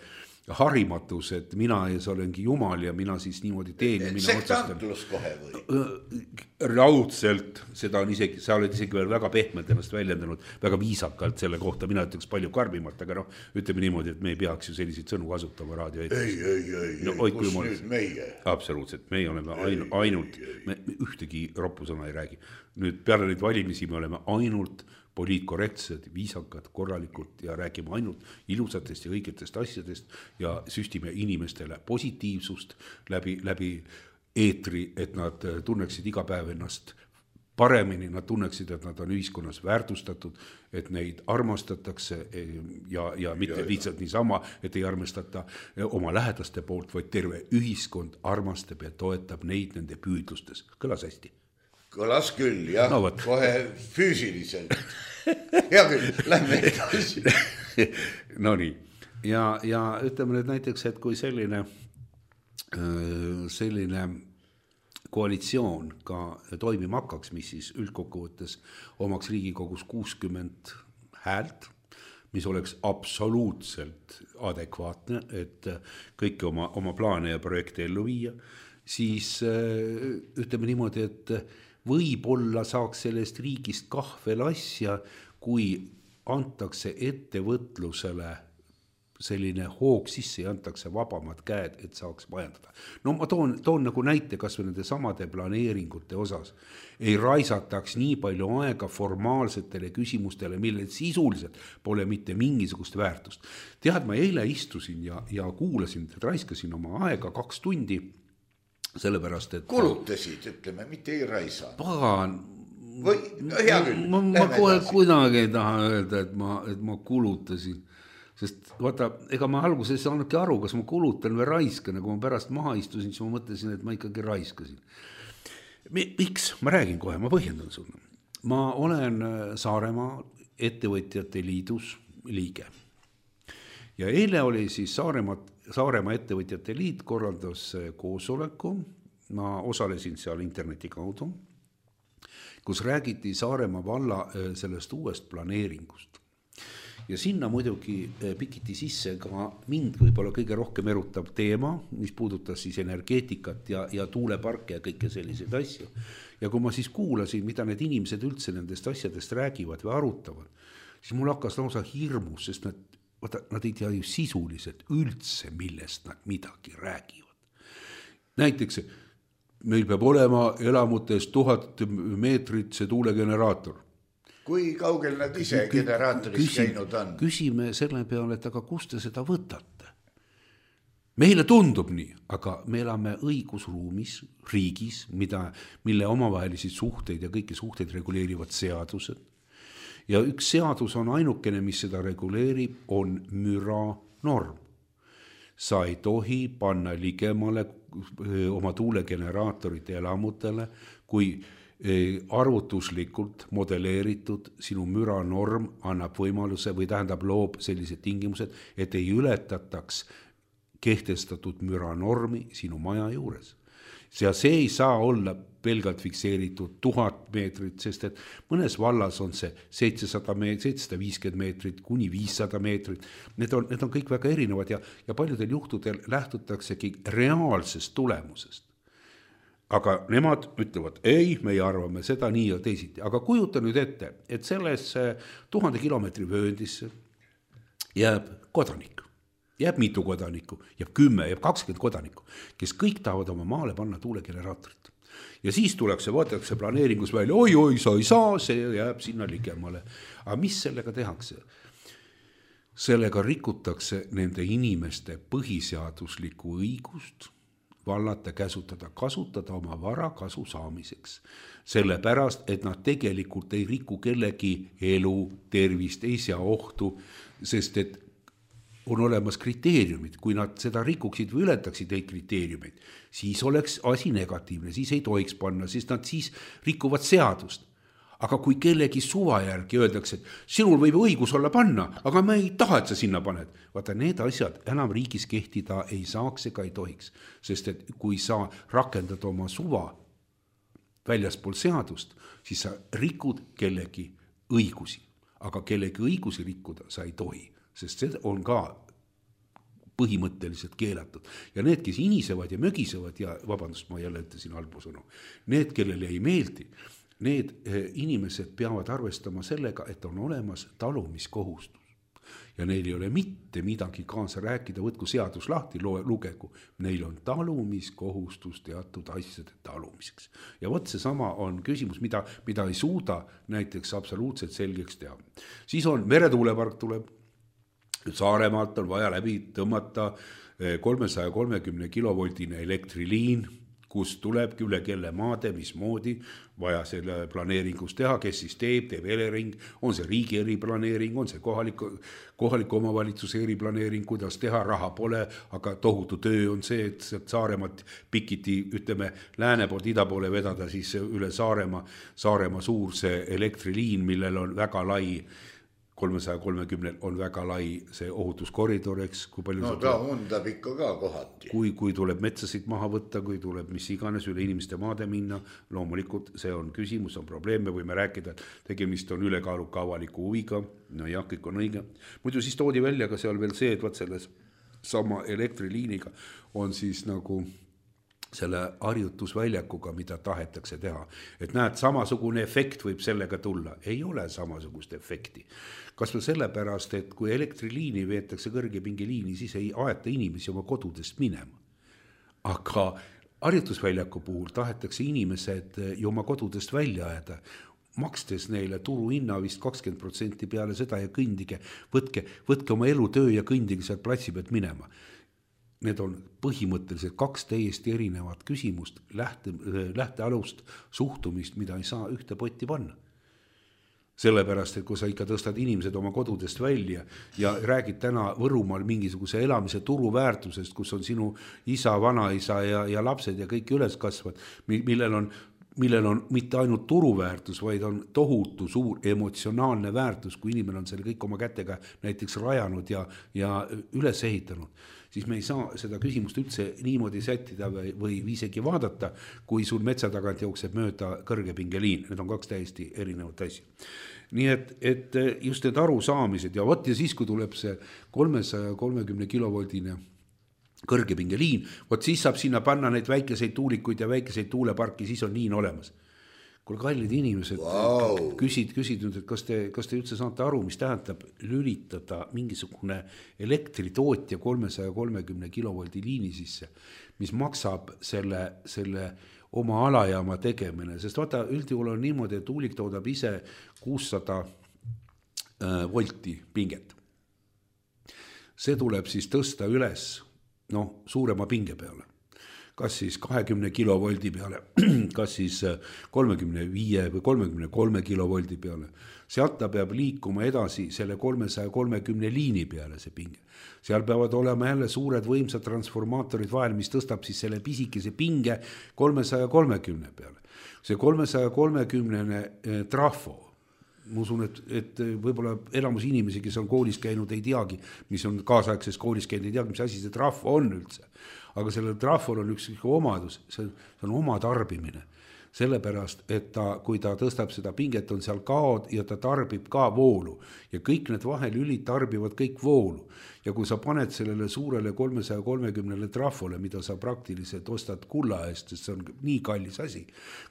harimatus, et mina ees olengi jumal ja mina siis niimoodi teen ja mina sektantlus kohe või? Raudselt, seda on isegi, sa oled isegi veel väga pehmelt ennast väljendanud, väga viisakalt selle kohta, mina ütleks palju karmimalt, aga noh, ütleme niimoodi, et me ei peaks ju selliseid sõnu kasutama raadio eetris. Ei, ei, ei, no, ei, kus nüüd olen... meie? Absoluutselt, meie oleme ainu, ainult, me ühtegi roppusõna ei räägi. Nüüd peale neid valimisi me oleme ainult poliitkorrektsed, viisakad, korralikult ja räägime ainult ilusatest ja õigetest asjadest ja süstime inimestele positiivsust läbi, läbi eetri, et nad tunneksid iga päev ennast paremini, nad tunneksid, et nad on ühiskonnas väärtustatud, et neid armastatakse ja, ja mitte ja, lihtsalt niisama, et ei armastata oma lähedaste poolt, vaid terve ühiskond armastab ja toetab neid nende püüdlustes. Kõlas hästi? Kõlas küll, jah, no, kohe füüsiliselt. Hea küll, lähme edasi. No nii, ja, ja ütleme nüüd näiteks, et kui selline, selline koalitsioon ka toimima hakkaks, mis siis üldkokkuvõttes omaks Riigikogus kuuskümmend häält, mis oleks absoluutselt adekvaatne, et kõiki oma, oma plaane ja projekte ellu viia, siis ütleme niimoodi, et võib-olla saaks sellest riigist kah veel asja, kui antakse ettevõtlusele selline hoog sisse ja antakse vabamad käed, et saaks majandada. No ma toon, toon nagu näite kas või nende samade planeeringute osas. Ei raisataks nii palju aega formaalsetele küsimustele, millel sisuliselt pole mitte mingisugust väärtust. Tead, ma eile istusin ja, ja kuulasin, et raiskasin oma aega kaks tundi, sellepärast, et... Kulutasid, ütleme, mitte ei raisa. Pagan... Või, hea küll. Ma, ma kohe kuidagi ei taha öelda, et ma, et ma kulutasin. Sest vaata, ega ma alguses ei saanudki aru, kas ma kulutan või raiskan. Kui ma pärast maha istusin, siis ma mõtlesin, et ma ikkagi raiskasin. Miks? Ma räägin kohe, ma põhjendan sulle. Ma olen Saaremaa ettevõtjate liidus liige. Ja eile oli siis Saaremaa Saaremaa ettevõtjate liit korraldas koosoleku, ma osalesin seal interneti kaudu, kus räägiti Saaremaa valla sellest uuest planeeringust. Ja sinna muidugi pikiti sisse ka mind võib-olla kõige rohkem erutab teema, mis puudutas siis energeetikat ja, ja tuuleparke ja kõike selliseid asju. Ja kui ma siis kuulasin, mida need inimesed üldse nendest asjadest räägivad või arutavad, siis mul hakkas lausa hirmus, sest nad Vaata, nad ei tea ju sisuliselt üldse, millest nad midagi räägivad. Näiteks, meil peab olema elamutes tuhat meetrit see tuulegeneraator. Kui kaugel nad ise generaatoris Küsim, käinud on? Küsime selle peale, et aga kust te seda võtate? Meile tundub nii, aga me elame õigusruumis, riigis, mida, mille omavahelisi suhteid ja kõiki suhteid reguleerivad seadused. Ja üks seadus on ainukene, mis seda reguleerib, on müra norm. Sa ei tohi panna ligemale oma tuulegeneraatorite elamutele, kui arvutuslikult modelleeritud sinu müra norm annab võimaluse või tähendab loob sellised tingimused, et ei ületataks kehtestatud müra normi sinu maja juures. Ja see ei saa olla pelgalt fikseeritud tuhat meetrit, sest et mõnes vallas on see seitsesada meetrit, seitsesada viiskümmend meetrit, kuni viissada meetrit. Need on, need on kõik väga erinevad ja, ja paljudel juhtudel lähtutaksegi reaalsest tulemusest. Aga nemad ütlevad, ei, me arvame seda nii ja teisiti. Aga kujuta nüüd ette, et selles tuhande kilomeetri vööndisse jääb kodanik. Jääb mitu kodanikku, jääb kümme, jääb kakskümmend kodanikku, kes kõik tahavad oma maale panna tuulegeneraatorit. Ja siis tulekse, võetakse planeeringus välja, oi, oi, sa ei saa, see jääb sinna ligemale. Aga mis sellega tehakse? Sellega rikutakse nende inimeste põhiseaduslikku õigust vallata, käsutada, kasutada oma vara kasu saamiseks. Sellepärast, et nad tegelikult ei riku kellegi elu, tervist, ei sea ohtu, sest et on olemas kriteeriumid, kui nad seda rikuksid või ületaksid neid kriteeriumid, siis oleks asi negatiivne, siis ei tohiks panna, sest nad siis rikuvad seadust. Aga kui kellegi suva järgi öeldakse, et sinul võib õigus olla panna, aga me ei taha, et sa sinna paned. Vaata, need asjad enam riigis kehtida ei saaks ega ei tohiks, sest et kui sa rakendad oma suva väljaspool seadust, siis sa rikud kellegi õigusi, aga kellegi õigusi rikkuda sa ei tohi. Sest see on ka põhimõtteliselt keelatud. Ja need, kes inisevad ja mögisevad ja vabandust, ma jälle ütlesin halbu sõnu, need, kellele ei meeldi, need inimesed peavad arvestama sellega, et on olemas talumiskohustus. Ja neil ei ole mitte midagi kaasa rääkida, võtku seadus lahti, lugegu. Neil on talumiskohustus teatud asjade talumiseks. Ja võt see sama on küsimus, mida, mida ei suuda näiteks absoluutselt selgeks teha. Siis on meretuulepark tuleb, Saaremaalt on vaja läbi tõmmata kolmesaja kolmekümne kilovoldine elektriliin, kus tulebki üle kelle maade, mismoodi vaja selle planeeringus teha, kes siis teeb, teeb Elering, on see riigi eriplaneering, on see kohaliku, kohaliku omavalitsuse eriplaneering, kuidas teha, raha pole, aga tohutu töö on see, et Saaremaalt pikiti, ütleme, lääne poolt ida poole vedada siis üle Saaremaa, Saaremaa suur see elektriliin, millel on väga lai kolmesaja kolmekümne on väga lai see ohutuskoridor, eks, kui palju no ta undab ikka ka kohati. Kui, kui tuleb metsasid maha võtta, kui tuleb mis iganes üle inimeste maade minna, loomulikult see on küsimus, on probleem, me võime rääkida, et tegemist on ülekaaluka avaliku huviga, no jah, kõik on õige. Muidu siis toodi välja ka seal veel see, et vaat selles sama elektriliiniga on siis nagu selle harjutusväljakuga, mida tahetakse teha. Et näed, samasugune efekt võib sellega tulla. Ei ole samasugust efekti. Kas või sellepärast, et kui elektriliini veetakse kõrgepingeliini, siis ei aeta inimesi oma kodudest minema. Aga harjutusväljaku puhul tahetakse inimesed ju oma kodudest välja ajada, makstes neile turu hinna vist kakskümmend protsenti peale seda ja kõndige, võtke, võtke oma elu töö ja kõndige sealt platsi pealt minema. Need on põhimõtteliselt kaks täiesti erinevat küsimust, lähte, lähtealust suhtumist, mida ei saa ühte potti panna. Sellepärast, et kui sa ikka tõstad inimesed oma kodudest välja ja räägid täna Võrumaal mingisuguse elamise turuväärtusest, kus on sinu isa, vanaisa ja, ja lapsed ja kõik üles kasvad, millel on millel on mitte ainult turuväärtus, vaid on tohutu suur emotsionaalne väärtus, kui inimene on selle kõik oma kätega näiteks rajanud ja, ja üles ehitanud, siis me ei saa seda küsimust üldse niimoodi sättida või, või isegi vaadata, kui sul metsa tagant jookseb mööda kõrgepingeliin. Need on kaks täiesti erinevat asja. Nii et, et just need arusaamised ja võt ja siis, kui tuleb see kolmesaja kolmekümne kilovoldine kõrgepingeliin, võt siis saab sinna panna neid väikeseid tuulikuid ja väikeseid tuuleparki, siis on liin olemas. Kui kallid inimesed wow. küsid, küsid nüüd, et kas te, kas te üldse saate aru, mis tähendab lülitada mingisugune elektritootja kolmesaja kolmekümne kilovoldi liini sisse, mis maksab selle, selle oma alajaama tegemine, sest vaata, üldjuhul on niimoodi, et tuulik toodab ise kuussada volti pinget. See tuleb siis tõsta üles noh, suurema pinge peale. Kas siis kahekümne kilovoldi peale, kas siis kolmekümne viie või kolmekümne kolme kilovoldi peale. Sealt ta peab liikuma edasi selle kolmesaja kolmekümne liini peale see pinge. Seal peavad olema jälle suured võimsad transformaatorid vahel, mis tõstab siis selle pisikese pinge kolmesaja kolmekümne peale. See kolmesaja kolmekümne trafo, ma usun, et, et võib-olla elamus inimesi, kes on koolis käinud, ei teagi, mis on kaasaegses koolis käinud, ei teagi, mis asi see trafo on üldse. Aga sellel trafol on üks omadus, see on oma tarbimine. Sellepärast, et ta, kui ta tõstab seda pinget, on seal kaod ja ta tarbib ka voolu. Ja kõik need vahelülid tarbivad kõik voolu. Ja kui sa paned sellele suurele kolmesaja kolmekümnele trafole, mida sa praktiliselt ostad kulla eest, sest see on nii kallis asi,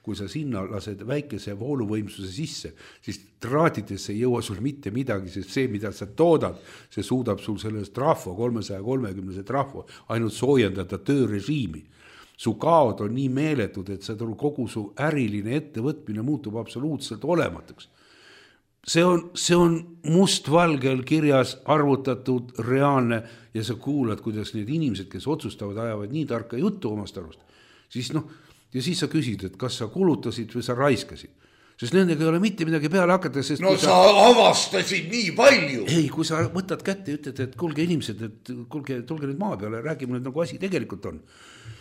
kui sa sinna lased väikese vooluvõimsuse sisse, siis traadidesse ei jõua sul mitte midagi, sest see, mida sa toodad, see suudab sul sellest trafo, kolmesaja kolmekümne trafo, ainult soojendada töörežiimi. Su kaod on nii meeletud, et see kogu su äriline ettevõtmine muutub absoluutselt olematuks. See on, see on mustvalgel kirjas arvutatud reaalne ja sa kuulad, kuidas need inimesed, kes otsustavad, ajavad nii tarka juttu omast arust. Siis noh, ja siis sa küsid, et kas sa kulutasid või sa raiskasid. Sest nendega ei ole mitte midagi peale hakata. Sest no sa, sa avastasid nii palju. Ei, kui sa võtad kätte ja ütled, et kulge inimesed, et kulge, tulge nüüd maa peale, räägime nüüd nagu asi tegelikult on.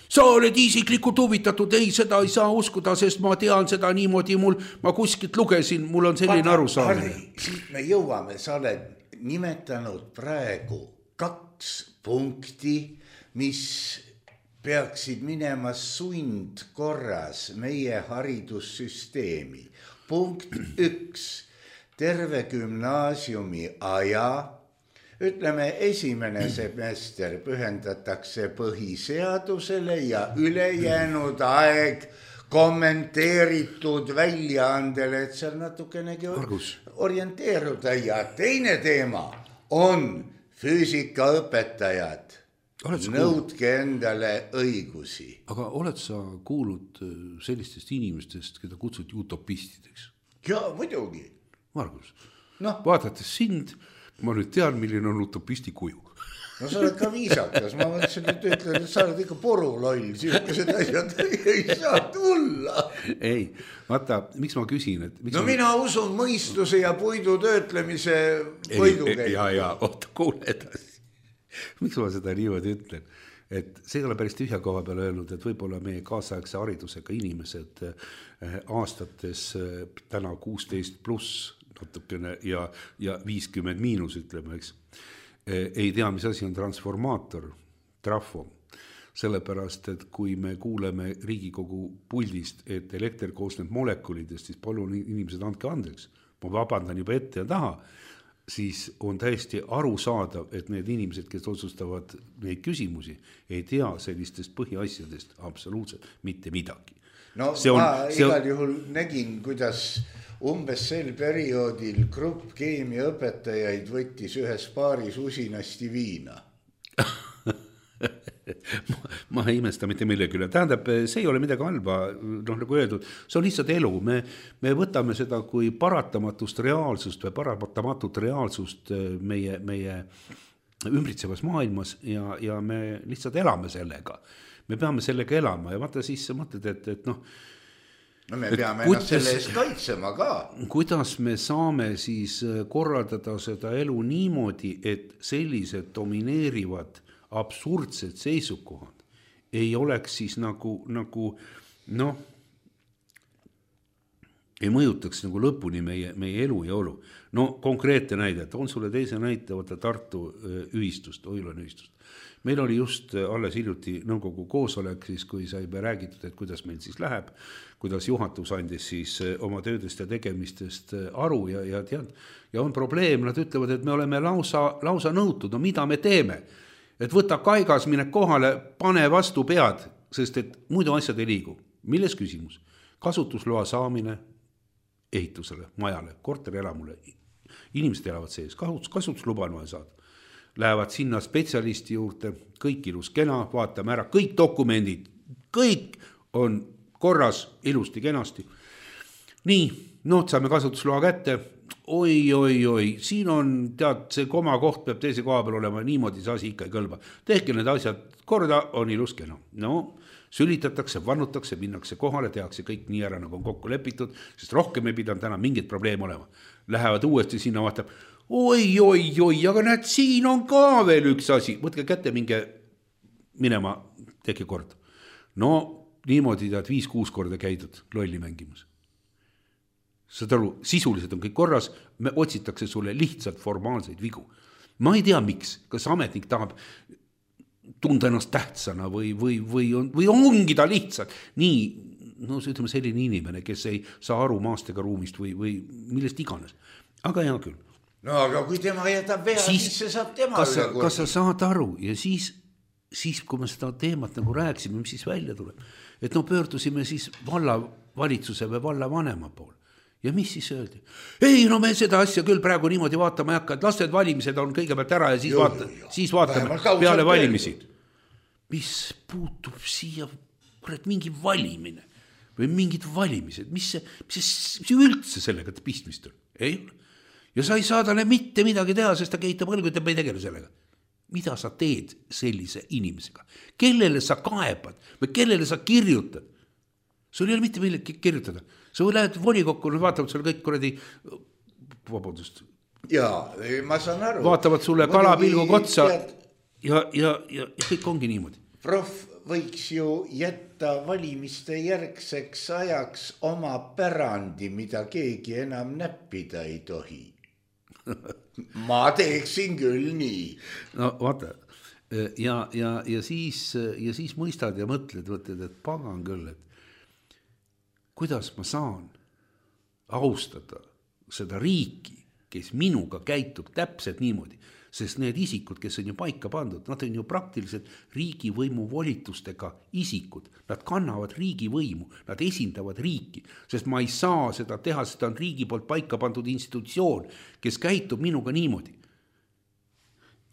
Sa oled isiklikult huvitatud, ei, seda ei saa uskuda, sest ma tean seda niimoodi, mul, ma kuskilt lugesin, mul on selline arusaamine. Siit me jõuame, sa oled nimetanud praegu kaks punkti, mis peaksid minema sundkorras meie haridussüsteemi. Punkt üks, terve gümnaasiumi aja ütleme, esimene semester pühendatakse põhiseadusele ja ülejäänud aeg kommenteeritud väljaandele, et seal natukenegi Argus. orienteeruda. Ja teine teema on füüsikaõpetajad. Nõudke endale õigusi. Aga oled sa kuulnud sellistest inimestest, keda kutsuti utopistideks? Ja muidugi. Margus, no. Vaadates sind, ma nüüd tean, milline on utopisti kuju. No sa oled ka viisakas, ma mõtlesin, et ütlen, et sa oled ikka poruloll, sihukesed asjad ei saa tulla. Ei, vaata, miks ma küsin, et miks no ma... mina usun mõistuse ja puidu töötlemise võidukäigu. Ja, ja, oota, kuule edasi. Miks ma seda niimoodi ütlen? Et see ei ole päris tühja koha peale öelnud, et võib-olla meie kaasaegse haridusega inimesed aastates täna kuusteist pluss natukene ja, ja viiskümmend miinus, ütleme, eks. Ei tea, mis asi on transformaator, trafo, sellepärast, et kui me kuuleme Riigikogu puldist, et elekter koosneb molekulidest, siis palun inimesed andke andeks. Ma vabandan juba ette ja taha, siis on täiesti arusaadav, et need inimesed, kes otsustavad neid küsimusi, ei tea sellistest põhiasjadest absoluutselt mitte midagi. No see on, ma see on... igal juhul nägin, kuidas umbes sel perioodil grupp keemiaõpetajaid võttis ühes paaris usinasti viina. ma, ma ei imesta mitte millegi üle. Tähendab, see ei ole midagi halba, noh, nagu öeldud, see on lihtsalt elu. Me, me võtame seda kui paratamatust reaalsust või paratamatut reaalsust meie, meie ümbritsevas maailmas ja, ja me lihtsalt elame sellega. Me peame sellega elama ja vaata siis sa mõtled, et, et noh, no me peame ennast kuidas, selle eest kaitsema ka. Kuidas me saame siis korraldada seda elu niimoodi, et sellised domineerivad absurdsed seisukohad ei oleks siis nagu, nagu noh, ei mõjutaks nagu lõpuni meie, meie elu ja olu. No konkreetne näide, on sulle teise näite, võtta Tartu ühistust, Oilan ühistust. Meil oli just alles hiljuti nõukogu koosolek, siis kui sai räägitud, et kuidas meil siis läheb, kuidas juhatus andis siis oma töödest ja tegemistest aru ja, ja tead, ja on probleem, nad ütlevad, et me oleme lausa, lausa nõutud, no mida me teeme? Et võta kaigas, mine kohale, pane vastu pead, sest et muidu asjad ei liigu. Milles küsimus? Kasutusloa saamine ehitusele, majale, korterelamule. Inimesed elavad sees, kasutusluba on vaja saada. Lähevad sinna spetsialisti juurde, kõik ilus kena, vaatame ära, kõik dokumendid, kõik on korras, ilusti, kenasti. Nii, no saame kasutusloa kätte, oi, oi, oi, siin on, tead, see koma koht peab teise koha peal olema, niimoodi see asi ikka ei kõlba. Tehke need asjad korda, on ilus kena. No, sülitatakse, vannutakse, minnakse kohale, tehakse kõik nii ära, nagu on kokku lepitud, sest rohkem ei pidanud täna mingit probleem olema. Lähevad uuesti sinna, vaatab, oi, oi, oi, aga näed, siin on ka veel üks asi. Võtke kätte, minge minema, tehke kord. No, niimoodi tead viis-kuus korda käidud lolli mängimas. Saad aru, sisuliselt on kõik korras, me otsitakse sulle lihtsalt formaalseid vigu. Ma ei tea, miks, kas ametnik tahab tunda ennast tähtsana või, või, või, on, või ongi ta lihtsalt nii, no ütleme selline inimene, kes ei saa aru maast ega ruumist või, või millest iganes. Aga hea küll. No aga kui tema jätab vea, siis, siis see saab tema kas sa, kas sa saad aru ja siis, siis kui me seda teemat nagu rääksime, mis siis välja tuleb, et no pöördusime siis valla valitsuse või valla vanema pool. Ja mis siis öeldi? Ei, no me seda asja küll praegu niimoodi vaatama ei hakka, et lasted valimised on kõigepealt ära ja siis, jo, vaata, jo, siis vaatame peale valimisi. Mis puutub siia mingi valimine või mingid valimised, mis see, mis see üldse sellega pistmist on? Ei ole. Ja sa ei saa talle mitte midagi teha, sest ta keitab õlgu, et ta ei tegele sellega. Mida sa teed sellise inimesega? Kellele sa kaebad või kellele sa kirjutad? Sul ei ole mitte millegi kirjutada. Sa lähed volikokku, vaatavad sulle kõik kuradi, vabandust. Jaa, ma saan aru. Vaatavad sulle kalapilgu kotsa ja, ja, ja, ja kõik ongi niimoodi. Prof võiks ju jätta valimiste järgseks ajaks oma pärandi, mida keegi enam näppida ei tohi. Ma teeksin küll nii. No vaata, ja, ja, ja, siis, ja siis mõistad ja mõtled, mõtled, et pagan küll, et kuidas ma saan austada seda riiki, kes minuga käitub täpselt niimoodi, sest need isikud, kes on ju paika pandud, nad on ju praktiliselt riigivõimu volitustega isikud, nad kannavad riigivõimu, nad esindavad riiki, sest ma ei saa seda teha, seda on riigi poolt paika pandud institutsioon, kes käitub minuga niimoodi.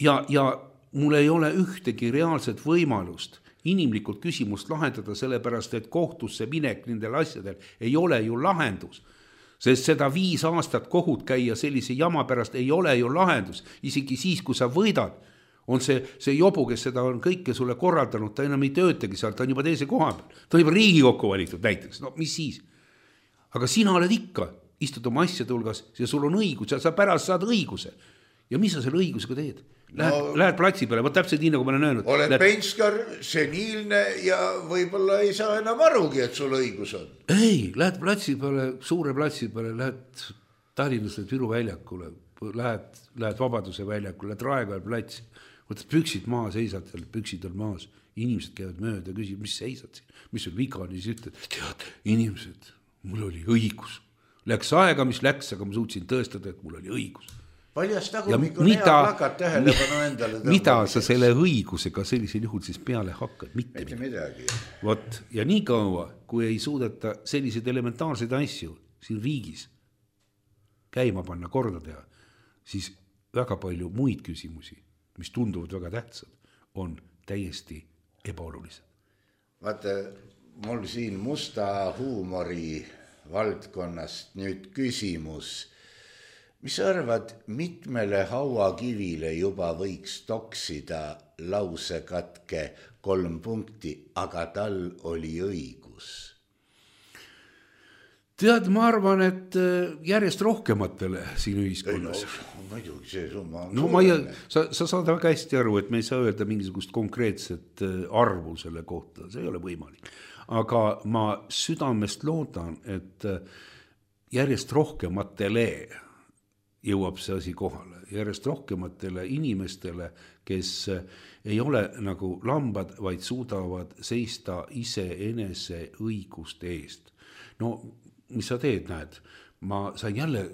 Ja, ja mul ei ole ühtegi reaalset võimalust inimlikult küsimust lahendada, sellepärast, et kohtusse minek nendel asjadel ei ole ju lahendus. Sest seda viis aastat kohut käia sellise jama pärast ei ole ju lahendus. Isegi siis, kui sa võidad, on see, see jobu, kes seda on kõike sulle korraldanud, ta enam ei töötagi seal, ta on juba teise koha peal. Ta on juba Riigikokku valitud näiteks, no mis siis? Aga sina oled ikka, istud oma asjade hulgas ja sul on õigus ja sa pärast saad õiguse. Ja mis sa selle õigusega teed? Lähed, no, lähed platsi peale, võt täpselt nii, nagu ma olen öelnud. Oled lähed... penskar, seniilne ja võib-olla ei saa enam arugi, et sul õigus on. Ei, lähed platsi peale, suure platsi peale, lähed Tallinnas Viru väljakule, lähed, lähed Vabaduse väljakule, lähed Raekoja platsi, võtad püksid maa, seisad seal, püksid on maas, inimesed käivad mööda ja küsivad, mis seisad siin, mis sul viga on, siis ütled, tead, inimesed, mul oli õigus. Läks aega, mis läks, aga ma suutsin tõestada, et mul oli õigus. Paljas tagumik on hea plakat tähelepanu endale. Mida sa selle õigusega sellisel juhul siis peale hakkad? Mitte, Mitte midagi. Vot, ja nii kaua, kui ei suudeta selliseid elementaarseid asju siin riigis käima panna, korda teha, siis väga palju muid küsimusi, mis tunduvad väga tähtsad, on täiesti ebaolulised. Vaata, mul siin musta huumori valdkonnast nüüd küsimus. Mis arvad, mitmele hauakivile juba võiks toksida lause katke kolm punkti, aga tal oli õigus? Tead, ma arvan, et järjest rohkematele siin ühiskonnas. No, muidugi see summa on no, ma ei, sa, sa saad väga hästi aru, et me ei saa öelda mingisugust konkreetset arvu selle kohta, see ei ole võimalik. Aga ma südamest loodan, et järjest rohkematele jõuab see asi kohale. Järjest rohkematele inimestele, kes ei ole nagu lambad, vaid suudavad seista ise enese õiguste eest. No, mis sa teed, näed? Ma sain jälle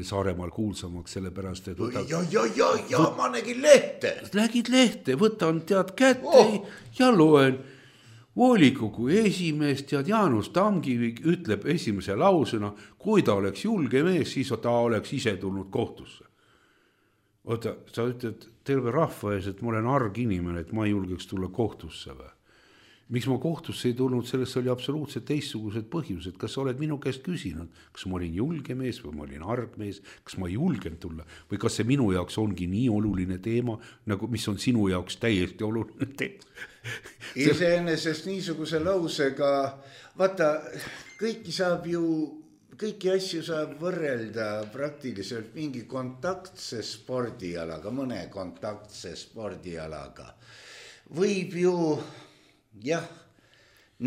Saaremaal kuulsamaks selle pärast, et võtad... Ja, ja, ja, ja, võt... ma nägin lehte. Lägid lehte, võtan tead kätte oh. ja loen. Volikogu esimees, tead, Jaanus Tamkivi ütleb esimese lausena, kui ta oleks julge mees, siis ta oleks ise tulnud kohtusse. Oota, sa ütled terve rahva ees, et ma olen arg inimene, et ma ei julgeks tulla kohtusse või? Miks ma kohtusse ei tulnud, sellest oli absoluutselt teistsugused põhjused. Kas sa oled minu käest küsinud, kas ma olin julge mees või ma olin arg mees, kas ma ei julgenud tulla või kas see minu jaoks ongi nii oluline teema, nagu mis on sinu jaoks täiesti oluline teema? Iseenesest niisuguse lausega, vaata, kõiki saab ju, kõiki asju saab võrrelda praktiliselt mingi kontaktse spordialaga, mõne kontaktse spordialaga. Võib ju jah,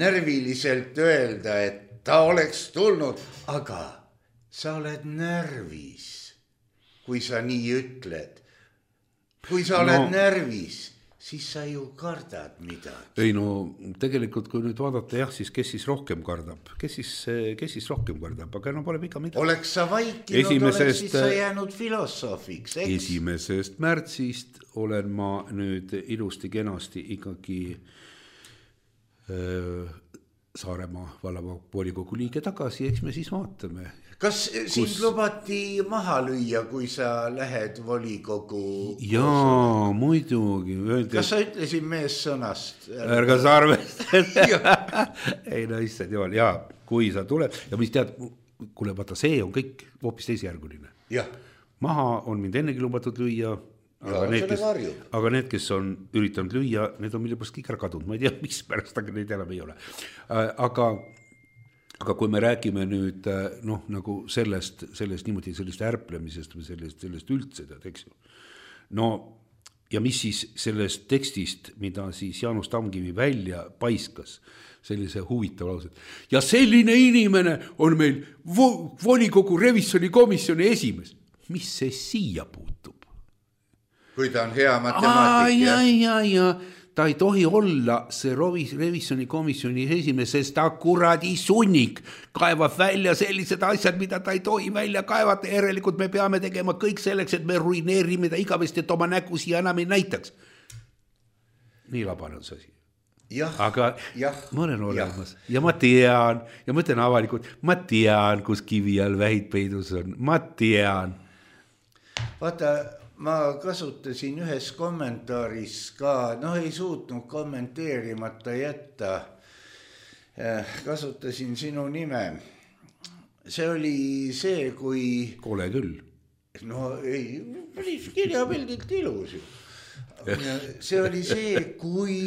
närviliselt öelda, et ta oleks tulnud, aga sa oled närvis, kui sa nii ütled. Kui sa oled no, närvis, siis sa ju kardad midagi. Ei no, tegelikult kui nüüd vaadata, jah, siis kes siis rohkem kardab? Kes siis, kes siis rohkem kardab? Aga no pole viga midagi. Oleks sa vaikinud, Esimesest, oleks siis sa jäänud filosoofiks, eks? Esimesest märtsist olen ma nüüd ilusti kenasti ikkagi Saaremaa vallavolikogu liige tagasi, eks me siis vaatame. Kas sind kus... lubati maha lüüa, kui sa lähed volikogu? Jaa, muidugi. Öeldi, kas sa ütlesid mees sõnast? Ärga sa arvest. Ei no issand jumal, jaa, kui sa tuleb ja mis tead, kuule vaata, see on kõik hoopis teisjärguline. Ja. Maha on mind ennegi lubatud lüüa. Aga, ja, need, kes, aga need, kes on üritanud lüüa, need on mille pärast kõik ära kadunud. Ma ei tea, mis pärast, aga neid enam ei ole. Aga, aga kui me räägime nüüd noh, nagu sellest, sellest niimoodi sellist ärplemisest või sellest, sellest üldse, eks ju. No ja mis siis sellest tekstist, mida siis Jaanus Tamkivi välja paiskas, sellise huvitav lause. Ja selline inimene on meil vo- volikogu revisjoni komisjoni esimees. Mis see siia puutub? Kui ta on hea matemaatik. Ja, ja, ja, ta ei tohi olla see revisjoni komisjoni esimees, sest ta kuradi sunnik kaevab välja sellised asjad, mida ta ei tohi välja kaevata. Järelikult me peame tegema kõik selleks, et me ruineerime ta igavesti, et oma nägu siia enam ei näitaks. Nii labane on see asi. Jah, aga jah, ma olen olemas jah. Ja ma tean ja ma ütlen avalikult, ma tean, kus kivi all vähid peidus on, ma tean. Vaata, ma kasutasin ühes kommentaaris ka, noh ei suutnud kommenteerimata jätta, kasutasin sinu nime. See oli see, kui... Kole küll. No ei, päris kirjapildilt ilus ju. See oli see, kui...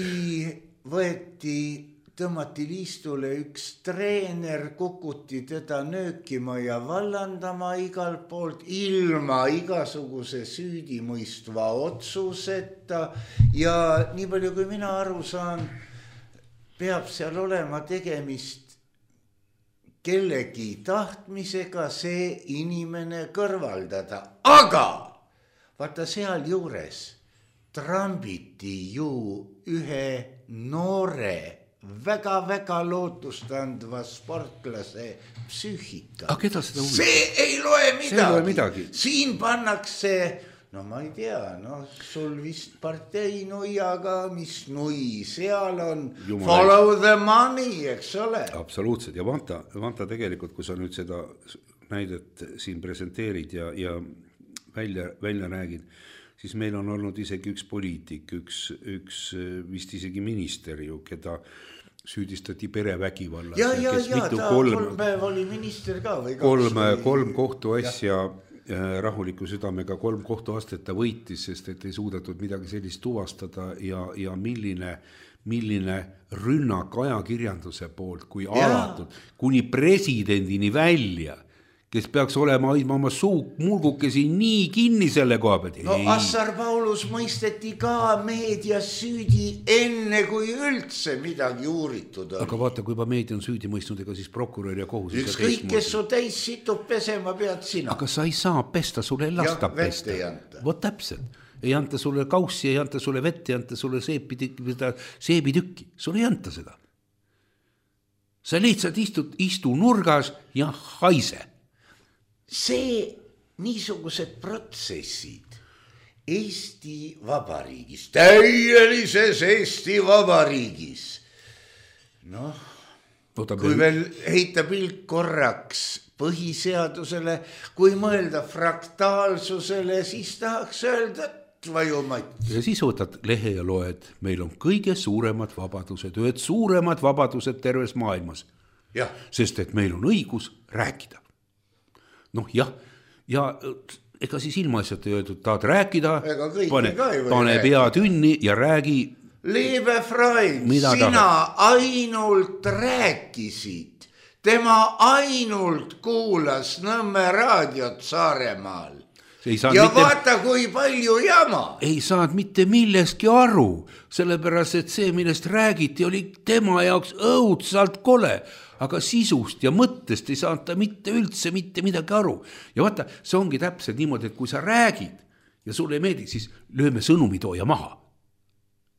võeti, tõmmati liistule üks treener, kukuti teda nöökima ja vallandama igalt poolt ilma igasuguse süüdimõistva otsuseta ja nii palju kui mina aru saan, peab seal olema tegemist kellegi tahtmisega see inimene kõrvaldada, aga vaata seal juures trambiti ju ühe noore, väga-väga lootustandva sportlase psüühika. Aga keda seda huvi? See ei loe midagi. See ei loe midagi. Siin pannakse, no ma ei tea, no sul vist partei nuiaga, mis nui seal on, Jumal follow ei. The money, eks ole. Absoluutselt, ja vanta, vanta tegelikult, kui sa nüüd seda näidet siin presenteerid ja, ja välja, välja räägid, siis meil on olnud isegi üks poliitik, üks, üks vist isegi minister ju, keda süüdistati perevägivallas. Ja, ja, ja, ta kolm, kolm päev oli minister ka. Või kolm, kolm kohtuasja rahuliku südamega, kolm kohtuastet ta võitis, sest et ei suudatud midagi sellist tuvastada ja, ja milline, milline rünnak ajakirjanduse poolt, kui ja. Alatud, kuni presidendini välja, kes peaks olema hoidma oma suu mulgukesi nii kinni selle koha pealt. No Assar Paulus mõisteti ka meedias süüdi enne, kui üldse midagi uuritud on. Aga vaata, kui juba meedia on süüdi mõistnud, ega siis prokurör ja kohus. Üks kõik, kes su täis situb pesema, pead sina. Aga sa ei saa pesta, sulle ei lasta ja, pesta. Vot täpselt. Ei anta sulle kaussi, ei anta sulle vett, ei anta sulle seebitükki. Sulle ei anta seda. Sa lihtsalt istud, istu nurgas ja haise. See niisugused protsessid Eesti Vabariigis, täielises Eesti Vabariigis, noh, Võtab kui veel heita pilk korraks põhiseadusele, kui mõelda fraktaalsusele, siis tahaks öelda, vajumat. Ja siis võtad lehe ja loed, meil on kõige suuremad vabadused, ühed suuremad vabadused terves maailmas, ja. Sest et meil on õigus rääkida. Noh jah, ja ega siis ilmaasjad ei öeldud, tahad rääkida, pane, pane pea tünni ja räägi. Liebe Freund, sina tahad? Ainult rääkisid, tema ainult kuulas Nõmme raadiot Saaremaal. Ja mitte, vaata, kui palju jama. Ei saanud mitte milleski aru, sellepärast, et see, millest räägiti, oli tema jaoks õudsalt kole. Aga sisust ja mõttest ei saanud ta mitte üldse mitte midagi aru. Ja vaata, see ongi täpselt niimoodi, et kui sa räägid ja sulle ei meeldi, siis lööme sõnumitooja maha.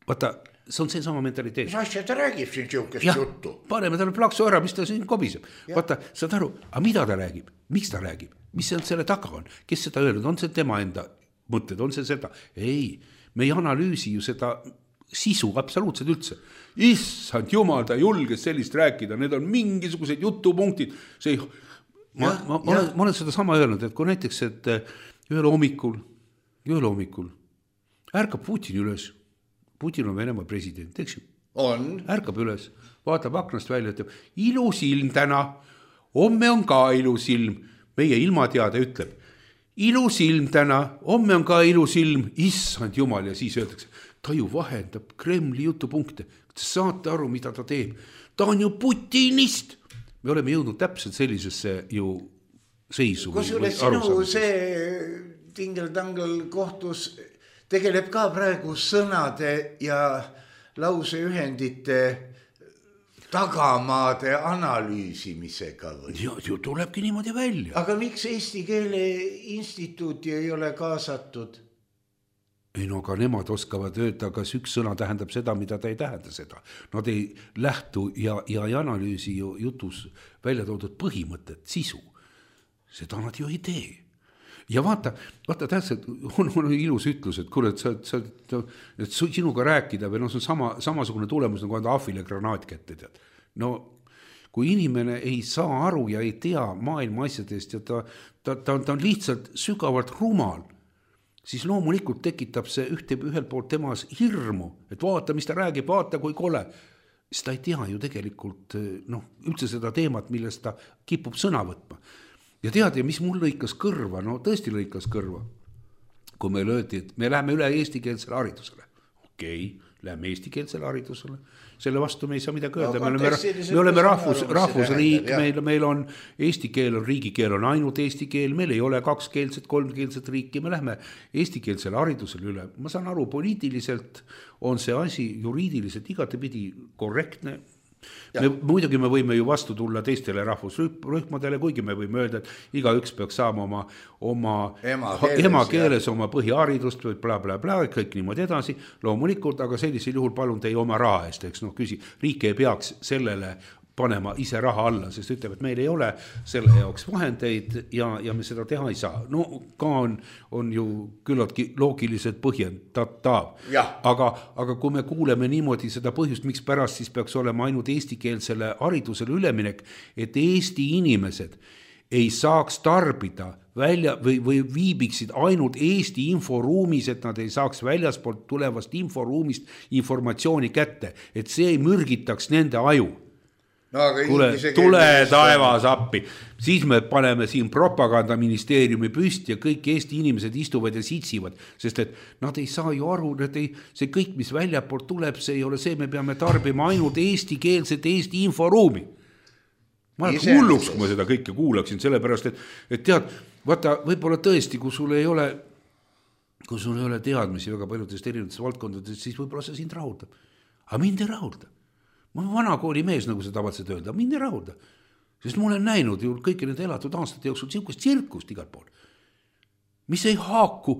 Vaata, see on see sama mentaliteet. Mis asja ta räägib siin siukest ja, juttu? Paneme talle plaksu ära, mis ta siin kobiseb. Ja. Vaata, saad aru, aga mida ta räägib? Miks ta räägib? Mis see selle taga on? Kes seda öelnud? On see tema enda mõtted? On see seda? Ei, me ei analüüsi ju seda sisu absoluutselt üldse. Issand jumal, ta julges sellist rääkida, need on mingisugused jutupunktid. See, ma, ja, ma, ma, olen, ma olen seda sama öelnud, et kui näiteks, et ühel hommikul, ühel hommikul ärkab Putin üles, Putin on Venemaa president, eks ju? On. Ärkab üles, vaatab aknast välja, ütleb, ilus ilm täna, homme on ka ilus ilm, meie ilmateade ütleb, ilus ilm täna, homme on ka ilus ilm, issand jumal, ja siis öeldakse, ta ju vahendab Kremli jutupunkte. Te saate aru, mida ta teeb. Ta on ju putinist. Me oleme jõudnud täpselt sellisesse ju seisu. Kus üle sinu see tingeltangel kohtus tegeleb ka praegu sõnade ja lauseühendite tagamaade analüüsimisega või? Ja, ju tulebki niimoodi välja. Aga miks Eesti Keele Instituuti ei ole kaasatud? ei no aga nemad oskavad öelda, kas üks sõna tähendab seda, mida ta ei tähenda seda. Nad ei lähtu ja, ja ei analüüsi ju jutus välja toodud põhimõtet, sisu. Seda nad ju ei tee. Ja vaata, vaata tähtsalt, on, on ilus ütlus, et kuule, et, sa, sa, et sinuga rääkida või no see on sama, samasugune tulemus, nagu anda ahvile granaat kätte, tead. No kui inimene ei saa aru ja ei tea maailma asjadest ja ta, ta, ta, ta on lihtsalt sügavalt rumal, siis loomulikult tekitab see ühte, ühelt poolt temas hirmu, et vaata, mis ta räägib, vaata, kui kole. Siis ta ei tea ju tegelikult noh, üldse seda teemat, millest ta kipub sõna võtma. Ja tead, ja mis mul lõikas kõrva, no tõesti lõikas kõrva, kui meil öeldi, et me läheme üle eestikeelsele haridusele. Okei, läheme eestikeelsele haridusele. Selle vastu me ei saa midagi öelda. No, me oleme, me oleme rahvus, rahvusriik, meil, meil on eesti keel, on riigikeel, on ainult eesti keel, meil ei ole kakskeelset, kolmkeelset riiki, me läheme eestikeelsele haridusele üle. Ma saan aru, poliitiliselt on see asi juriidiliselt igatepidi korrektne. Me, muidugi me võime ju vastu tulla teistele rahvusrühmadele, kuigi me võime öelda, et iga üks peaks saama oma, oma emakeeles, emakeeles oma põhiharidust või bla, bla, bla, kõik niimoodi edasi, loomulikult, aga sellisel juhul palun teie oma raha eest, eks noh, küsi, riik ei peaks sellele panema ise raha alla, sest ütleb, et meil ei ole selle jaoks vahendeid ja, ja me seda teha ei saa. No ka on, on ju küllaltki loogiliselt põhjendatav. Aga, aga kui me kuuleme niimoodi seda põhjust, miks pärast siis peaks olema ainult eestikeelsele haridusele üleminek, et Eesti inimesed ei saaks tarbida välja või, või viibiksid ainult Eesti inforuumis, et nad ei saaks väljaspoolt tulevast inforuumist informatsiooni kätte, et see ei mürgitaks nende aju. No, kuule, tule taevas appi, siis me paneme siin propagandaministeeriumi püsti ja kõik Eesti inimesed istuvad ja sitsivad, sest et nad ei saa ju aru, et ei, see kõik, mis väljapoolt tuleb, see ei ole see, me peame tarbima ainult eestikeelset Eesti inforuumi. Ma olen hulluks, kui ma seda kõike kuulaksin, sellepärast, et, et tead, vaata, võib-olla tõesti, kui sul ei ole, kui sul ei ole teadmisi väga paljudest erinevatest valdkondadest, siis võib-olla see sind rahuldab. Aga mind ei rahulda. Ma olen vana kooli mees, nagu see tavaliselt öelda, mind ei rahulda. Sest ma olen näinud ju kõiki need elatud aastate jooksul sihukest tsirkust igal pool. Mis ei haaku,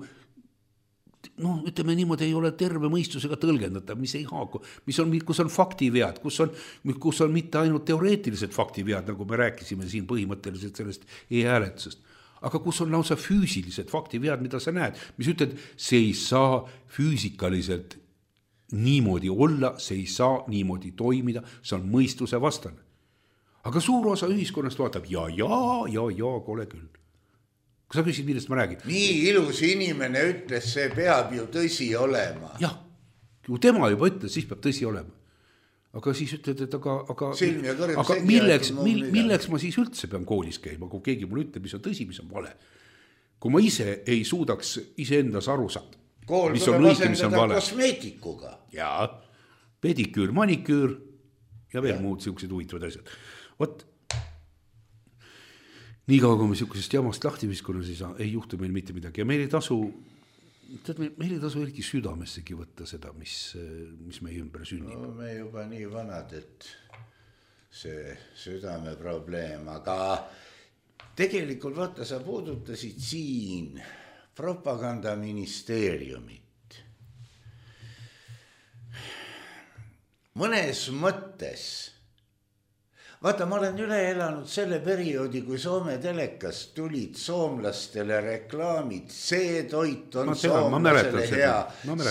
no ütleme niimoodi, ei ole terve mõistusega tõlgendatav, mis ei haaku, mis on, kus on faktivead, kus on, kus on mitte ainult teoreetilised faktivead, nagu me rääkisime siin põhimõtteliselt sellest e-hääletusest, aga kus on lausa füüsilised faktivead, mida sa näed, mis ütled, see ei saa füüsikaliselt niimoodi olla, see ei saa niimoodi toimida, see on mõistuse vastane. Aga suur osa ühiskonnast vaatab, ja, ja, ja, ja, kole küll. Kui sa küsid, millest ma räägin? Nii ilus inimene ütles, see peab ju tõsi olema. Jah, kui tema juba ütles, siis peab tõsi olema. Aga siis ütled, et aga, aga, aga milleks, mill, milleks ma siis üldse pean koolis käima, kui keegi mulle ütleb, mis on tõsi, mis on vale. Kui ma ise ei suudaks iseendas aru saada. Kool mis tuleb asendada kosmeetikuga. Jaa, pediküür, maniküür ja veel ja. Muud siuksed huvitavad asjad. Vot, nii kaua, kui me siukesest jamast lahti viskuna, siis ei juhtu meil mitte midagi. Ja meil ei tasu, meil ei tasu eriti südamessegi võtta seda, mis, mis meie ümber sünnib. No, me juba nii vanad, et see südame probleem, aga tegelikult vaata, sa puudutasid siin propagandaministeeriumit. Mõnes mõttes, vaata, ma olen üle elanud selle perioodi, kui Soome telekas tulid soomlastele reklaamid, see toit on tean, soomlasele hea,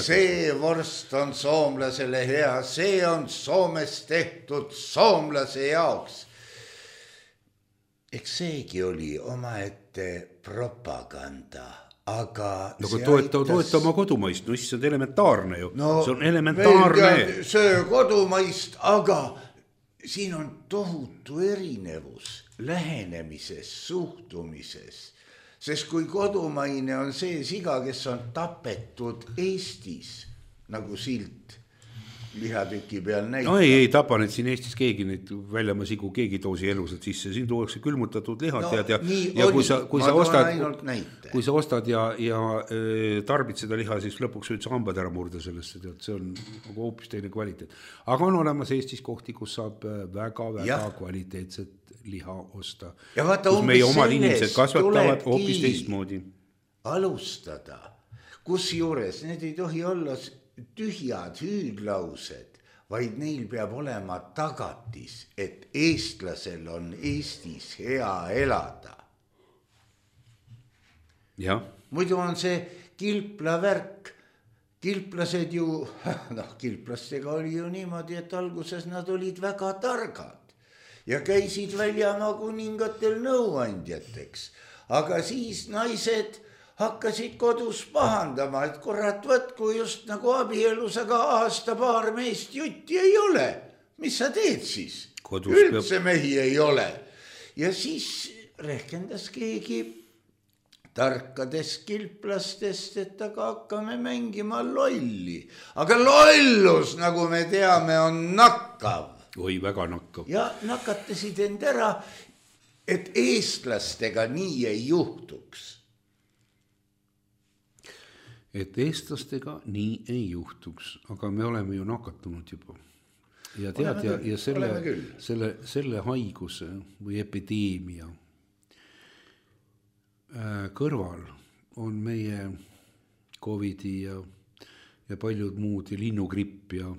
see vorst on soomlasele hea, see on Soomes tehtud soomlase jaoks. Eks seegi oli omaette propaganda. Aga no, toeta, aitas... toeta oma kodumaist, no siis on elementaarne ju, no, see on elementaarne. See kodumaist, aga siin on tohutu erinevus lähenemises, suhtumises, sest kui kodumaine on see siga, kes on tapetud Eestis, nagu silt lihatüki peal näitab. No ei, ei tapa neid siin Eestis keegi, neid väljama sigu keegi toosi elused sisse, siin tuuakse külmutatud lihad no, ja, ja, ja kui sa, kui sa ostad, kui sa ostad ja, ja e, tarbid seda liha, siis lõpuks võid sa hambad ära murda sellest, et see on hoopis teine kvaliteet. Aga on olemas Eestis kohti, kus saab väga, väga ja. Kvaliteetset liha osta. Ja vaata, kus meie omad inimesed kasvatavad hoopis teistmoodi. Alustada. kus juures need ei tohi olla tühjad hüüdlaused, vaid neil peab olema tagatis, et eestlasel on Eestis hea elada. jah. Muidu on see kilpla värk. Kilplased ju, noh, kilplastega oli ju niimoodi, et alguses nad olid väga targad ja käisid väljamaa kuningatel nõuandjateks, aga siis naised hakkasid kodus pahandama, et kurat, võtku just nagu abielus, aga aasta paar meest jutti ei ole. Mis sa teed siis? Kodus üldse peab... mehi ei ole. Ja siis rehkendas keegi tarkadest kilplastest, et aga hakkame mängima lolli. Aga lollus, nagu me teame, on nakkav. Oi, väga nakkav. Ja nakatasid end ära, et eestlastega nii ei juhtuks. Et eestlastega nii ei juhtuks, aga me oleme ju nakatunud juba. Ja tead, ja, ja selle, selle, selle haiguse või epideemia kõrval on meie Covidi ja, ja paljud muud ja linnugripp ja,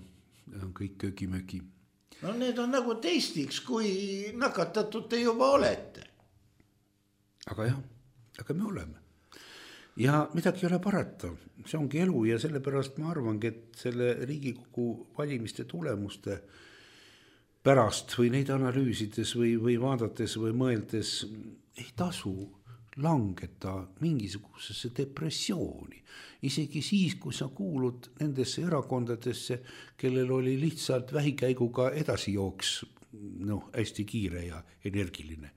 ja kõik köögimögi. No need on nagu testiks, kui nakatatud te juba olete. Aga jah, aga me oleme. Ja midagi ei ole parata, see ongi elu ja sellepärast ma arvangi, et selle Riigikogu valimiste tulemuste pärast või neid analüüsides või, või vaadates või mõeldes ei tasu langeta mingisugusesse depressiooni. Isegi siis, kui sa kuulud nendesse erakondadesse, kellel oli lihtsalt vähikäiguga edasijooks, noh, hästi kiire ja energiline.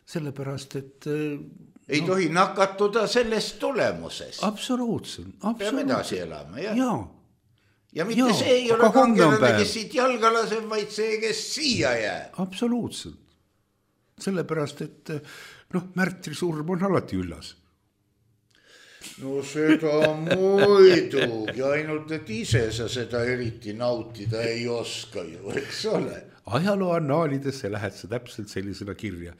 Sellepärast, et ei no, tohi nakatuda sellest tulemusest. Absoluutselt. Peame edasi elama, jah? Jaa. Ja mitte ja, see ei ole kangelane, kes siit jalga laseb, vaid see, kes siia jääb. Absoluutselt. Sellepärast, et noh, Märtri surm on alati üllas. No seda muidugi, ainult et ise sa seda eriti nautida ei oska ju, eks ole. Ajaloo annaalidesse lähed sa täpselt sellisena kirja,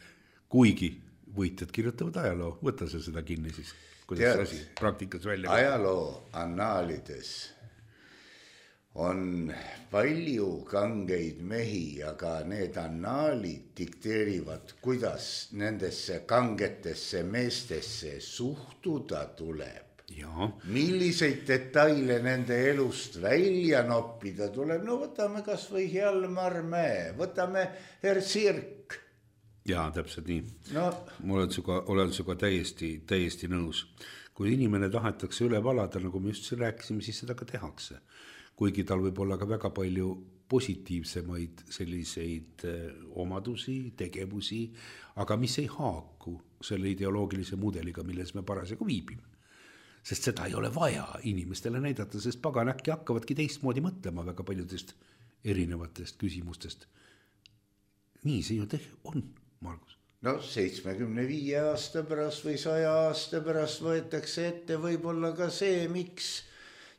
kuigi võitjad kirjutavad ajaloo, võta sa seda kinni siis, kuidas asi praktikas välja. Ajaloo annaalides on palju kangeid mehi, aga need annaalid dikteerivad, kuidas nendesse kangetesse meestesse suhtuda tuleb. Ja. Milliseid detaile nende elust välja noppida tuleb. No võtame kas või Hjalmar Mäe, võtame Herr Sirk. Jaa, täpselt nii. No. Ma olen suga, olen suga täiesti, täiesti nõus. Kui inimene tahetakse üle valada, nagu me just rääkisime, siis seda ka tehakse. Kuigi tal võib olla ka väga palju positiivsemaid selliseid omadusi, tegevusi, aga mis ei haaku selle ideoloogilise mudeliga, milles me parasjagu viibime. Sest seda ei ole vaja inimestele näidata, sest pagan äkki hakkavadki teistmoodi mõtlema väga paljudest erinevatest küsimustest. Nii see ju teh- on. Margus. No seitsmekümne viie aasta pärast või saja aasta pärast võetakse ette võib-olla ka see, miks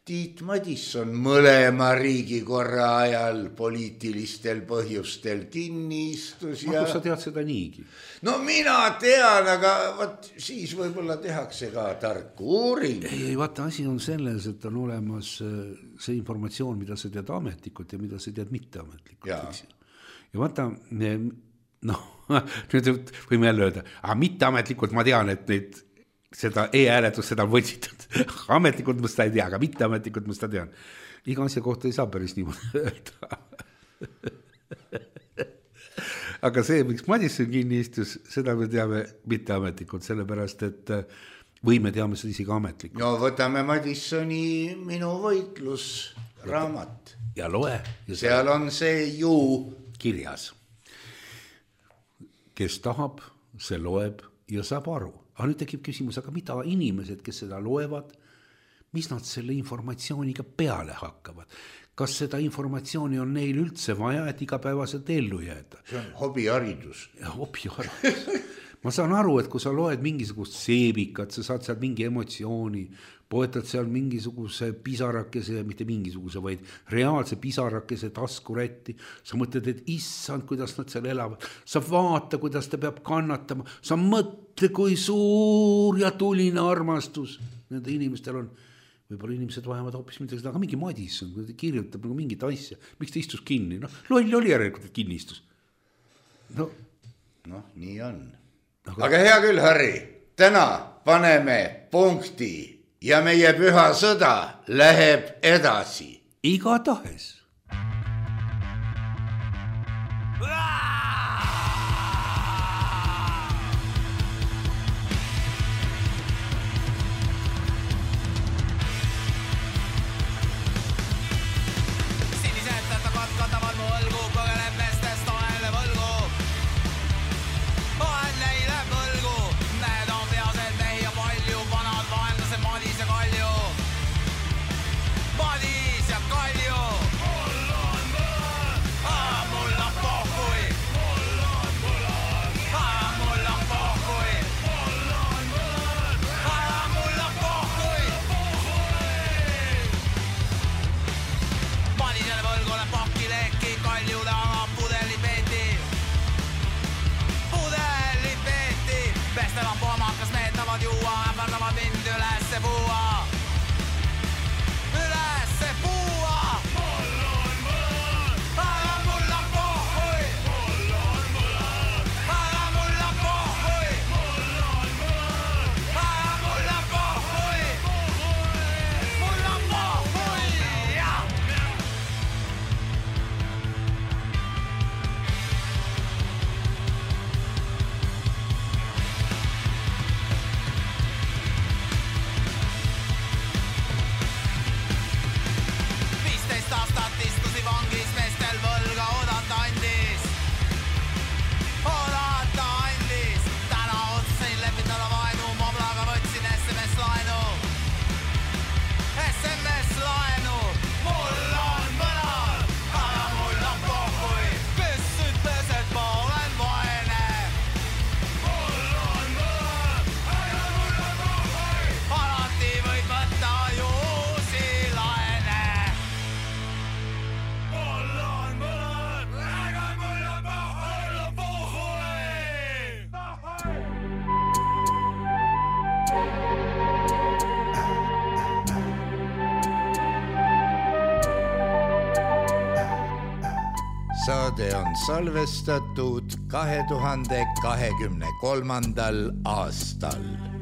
Tiit Madisson mõlema riigikorra ajal poliitilistel põhjustel kinni istus. Ja... Margus, sa tead seda niigi? No mina tean, aga võt, siis võib-olla tehakse ka tarku uuring. Ei, ei, vaata, asi on selles, et on olemas see informatsioon, mida sa tead ametlikult ja mida sa tead mitteametlikult. Ja, ja vaata, noh, nüüd võime jälle öelda, aga mitteametlikult ma tean, et neid, seda e-hääletust seda on võtsitud. Ametlikult ma seda ei tea, aga mitteametlikult ma seda tean. Iga asja kohta ei saa päris niimoodi öelda. Aga see, miks Madisson kinni istus, seda me teame mitteametlikult, sellepärast, et või me teame seda isegi ametlikult. No võtame Madissoni Minu võitlus raamat. Ja loe. Ja seal on see ju kirjas. Kes tahab, see loeb ja saab aru. Aga nüüd tekib küsimus, aga mida inimesed, kes seda loevad, mis nad selle informatsiooniga peale hakkavad? Kas seda informatsiooni on neil üldse vaja, et igapäevaselt ellu jääda? See on hobiharidus. Ja hobiharidus. Ma saan aru, et kui sa loed mingisugust seebikat, sa saad seal mingi emotsiooni, poetad seal mingisuguse pisarakese, mitte mingisuguse, vaid reaalse pisarakese taskurätti. Sa mõtled, et issand, kuidas nad seal elavad. Sa vaata, kuidas ta peab kannatama. Sa mõtle, kui suur ja tuline armastus. nende inimestel on, võib-olla inimesed vajavad hoopis midagi, aga mingi Madis on, ta kirjutab nagu mingit asja, miks ta istus kinni, noh, loll oli järelikult, et kinni istus. No, noh, nii on. Aga... aga hea küll, Harri, täna paneme punkti ja meie püha sõda läheb edasi. Iga tahes. Saade on salvestatud kahe tuhande kahekümne kolmandal aastal.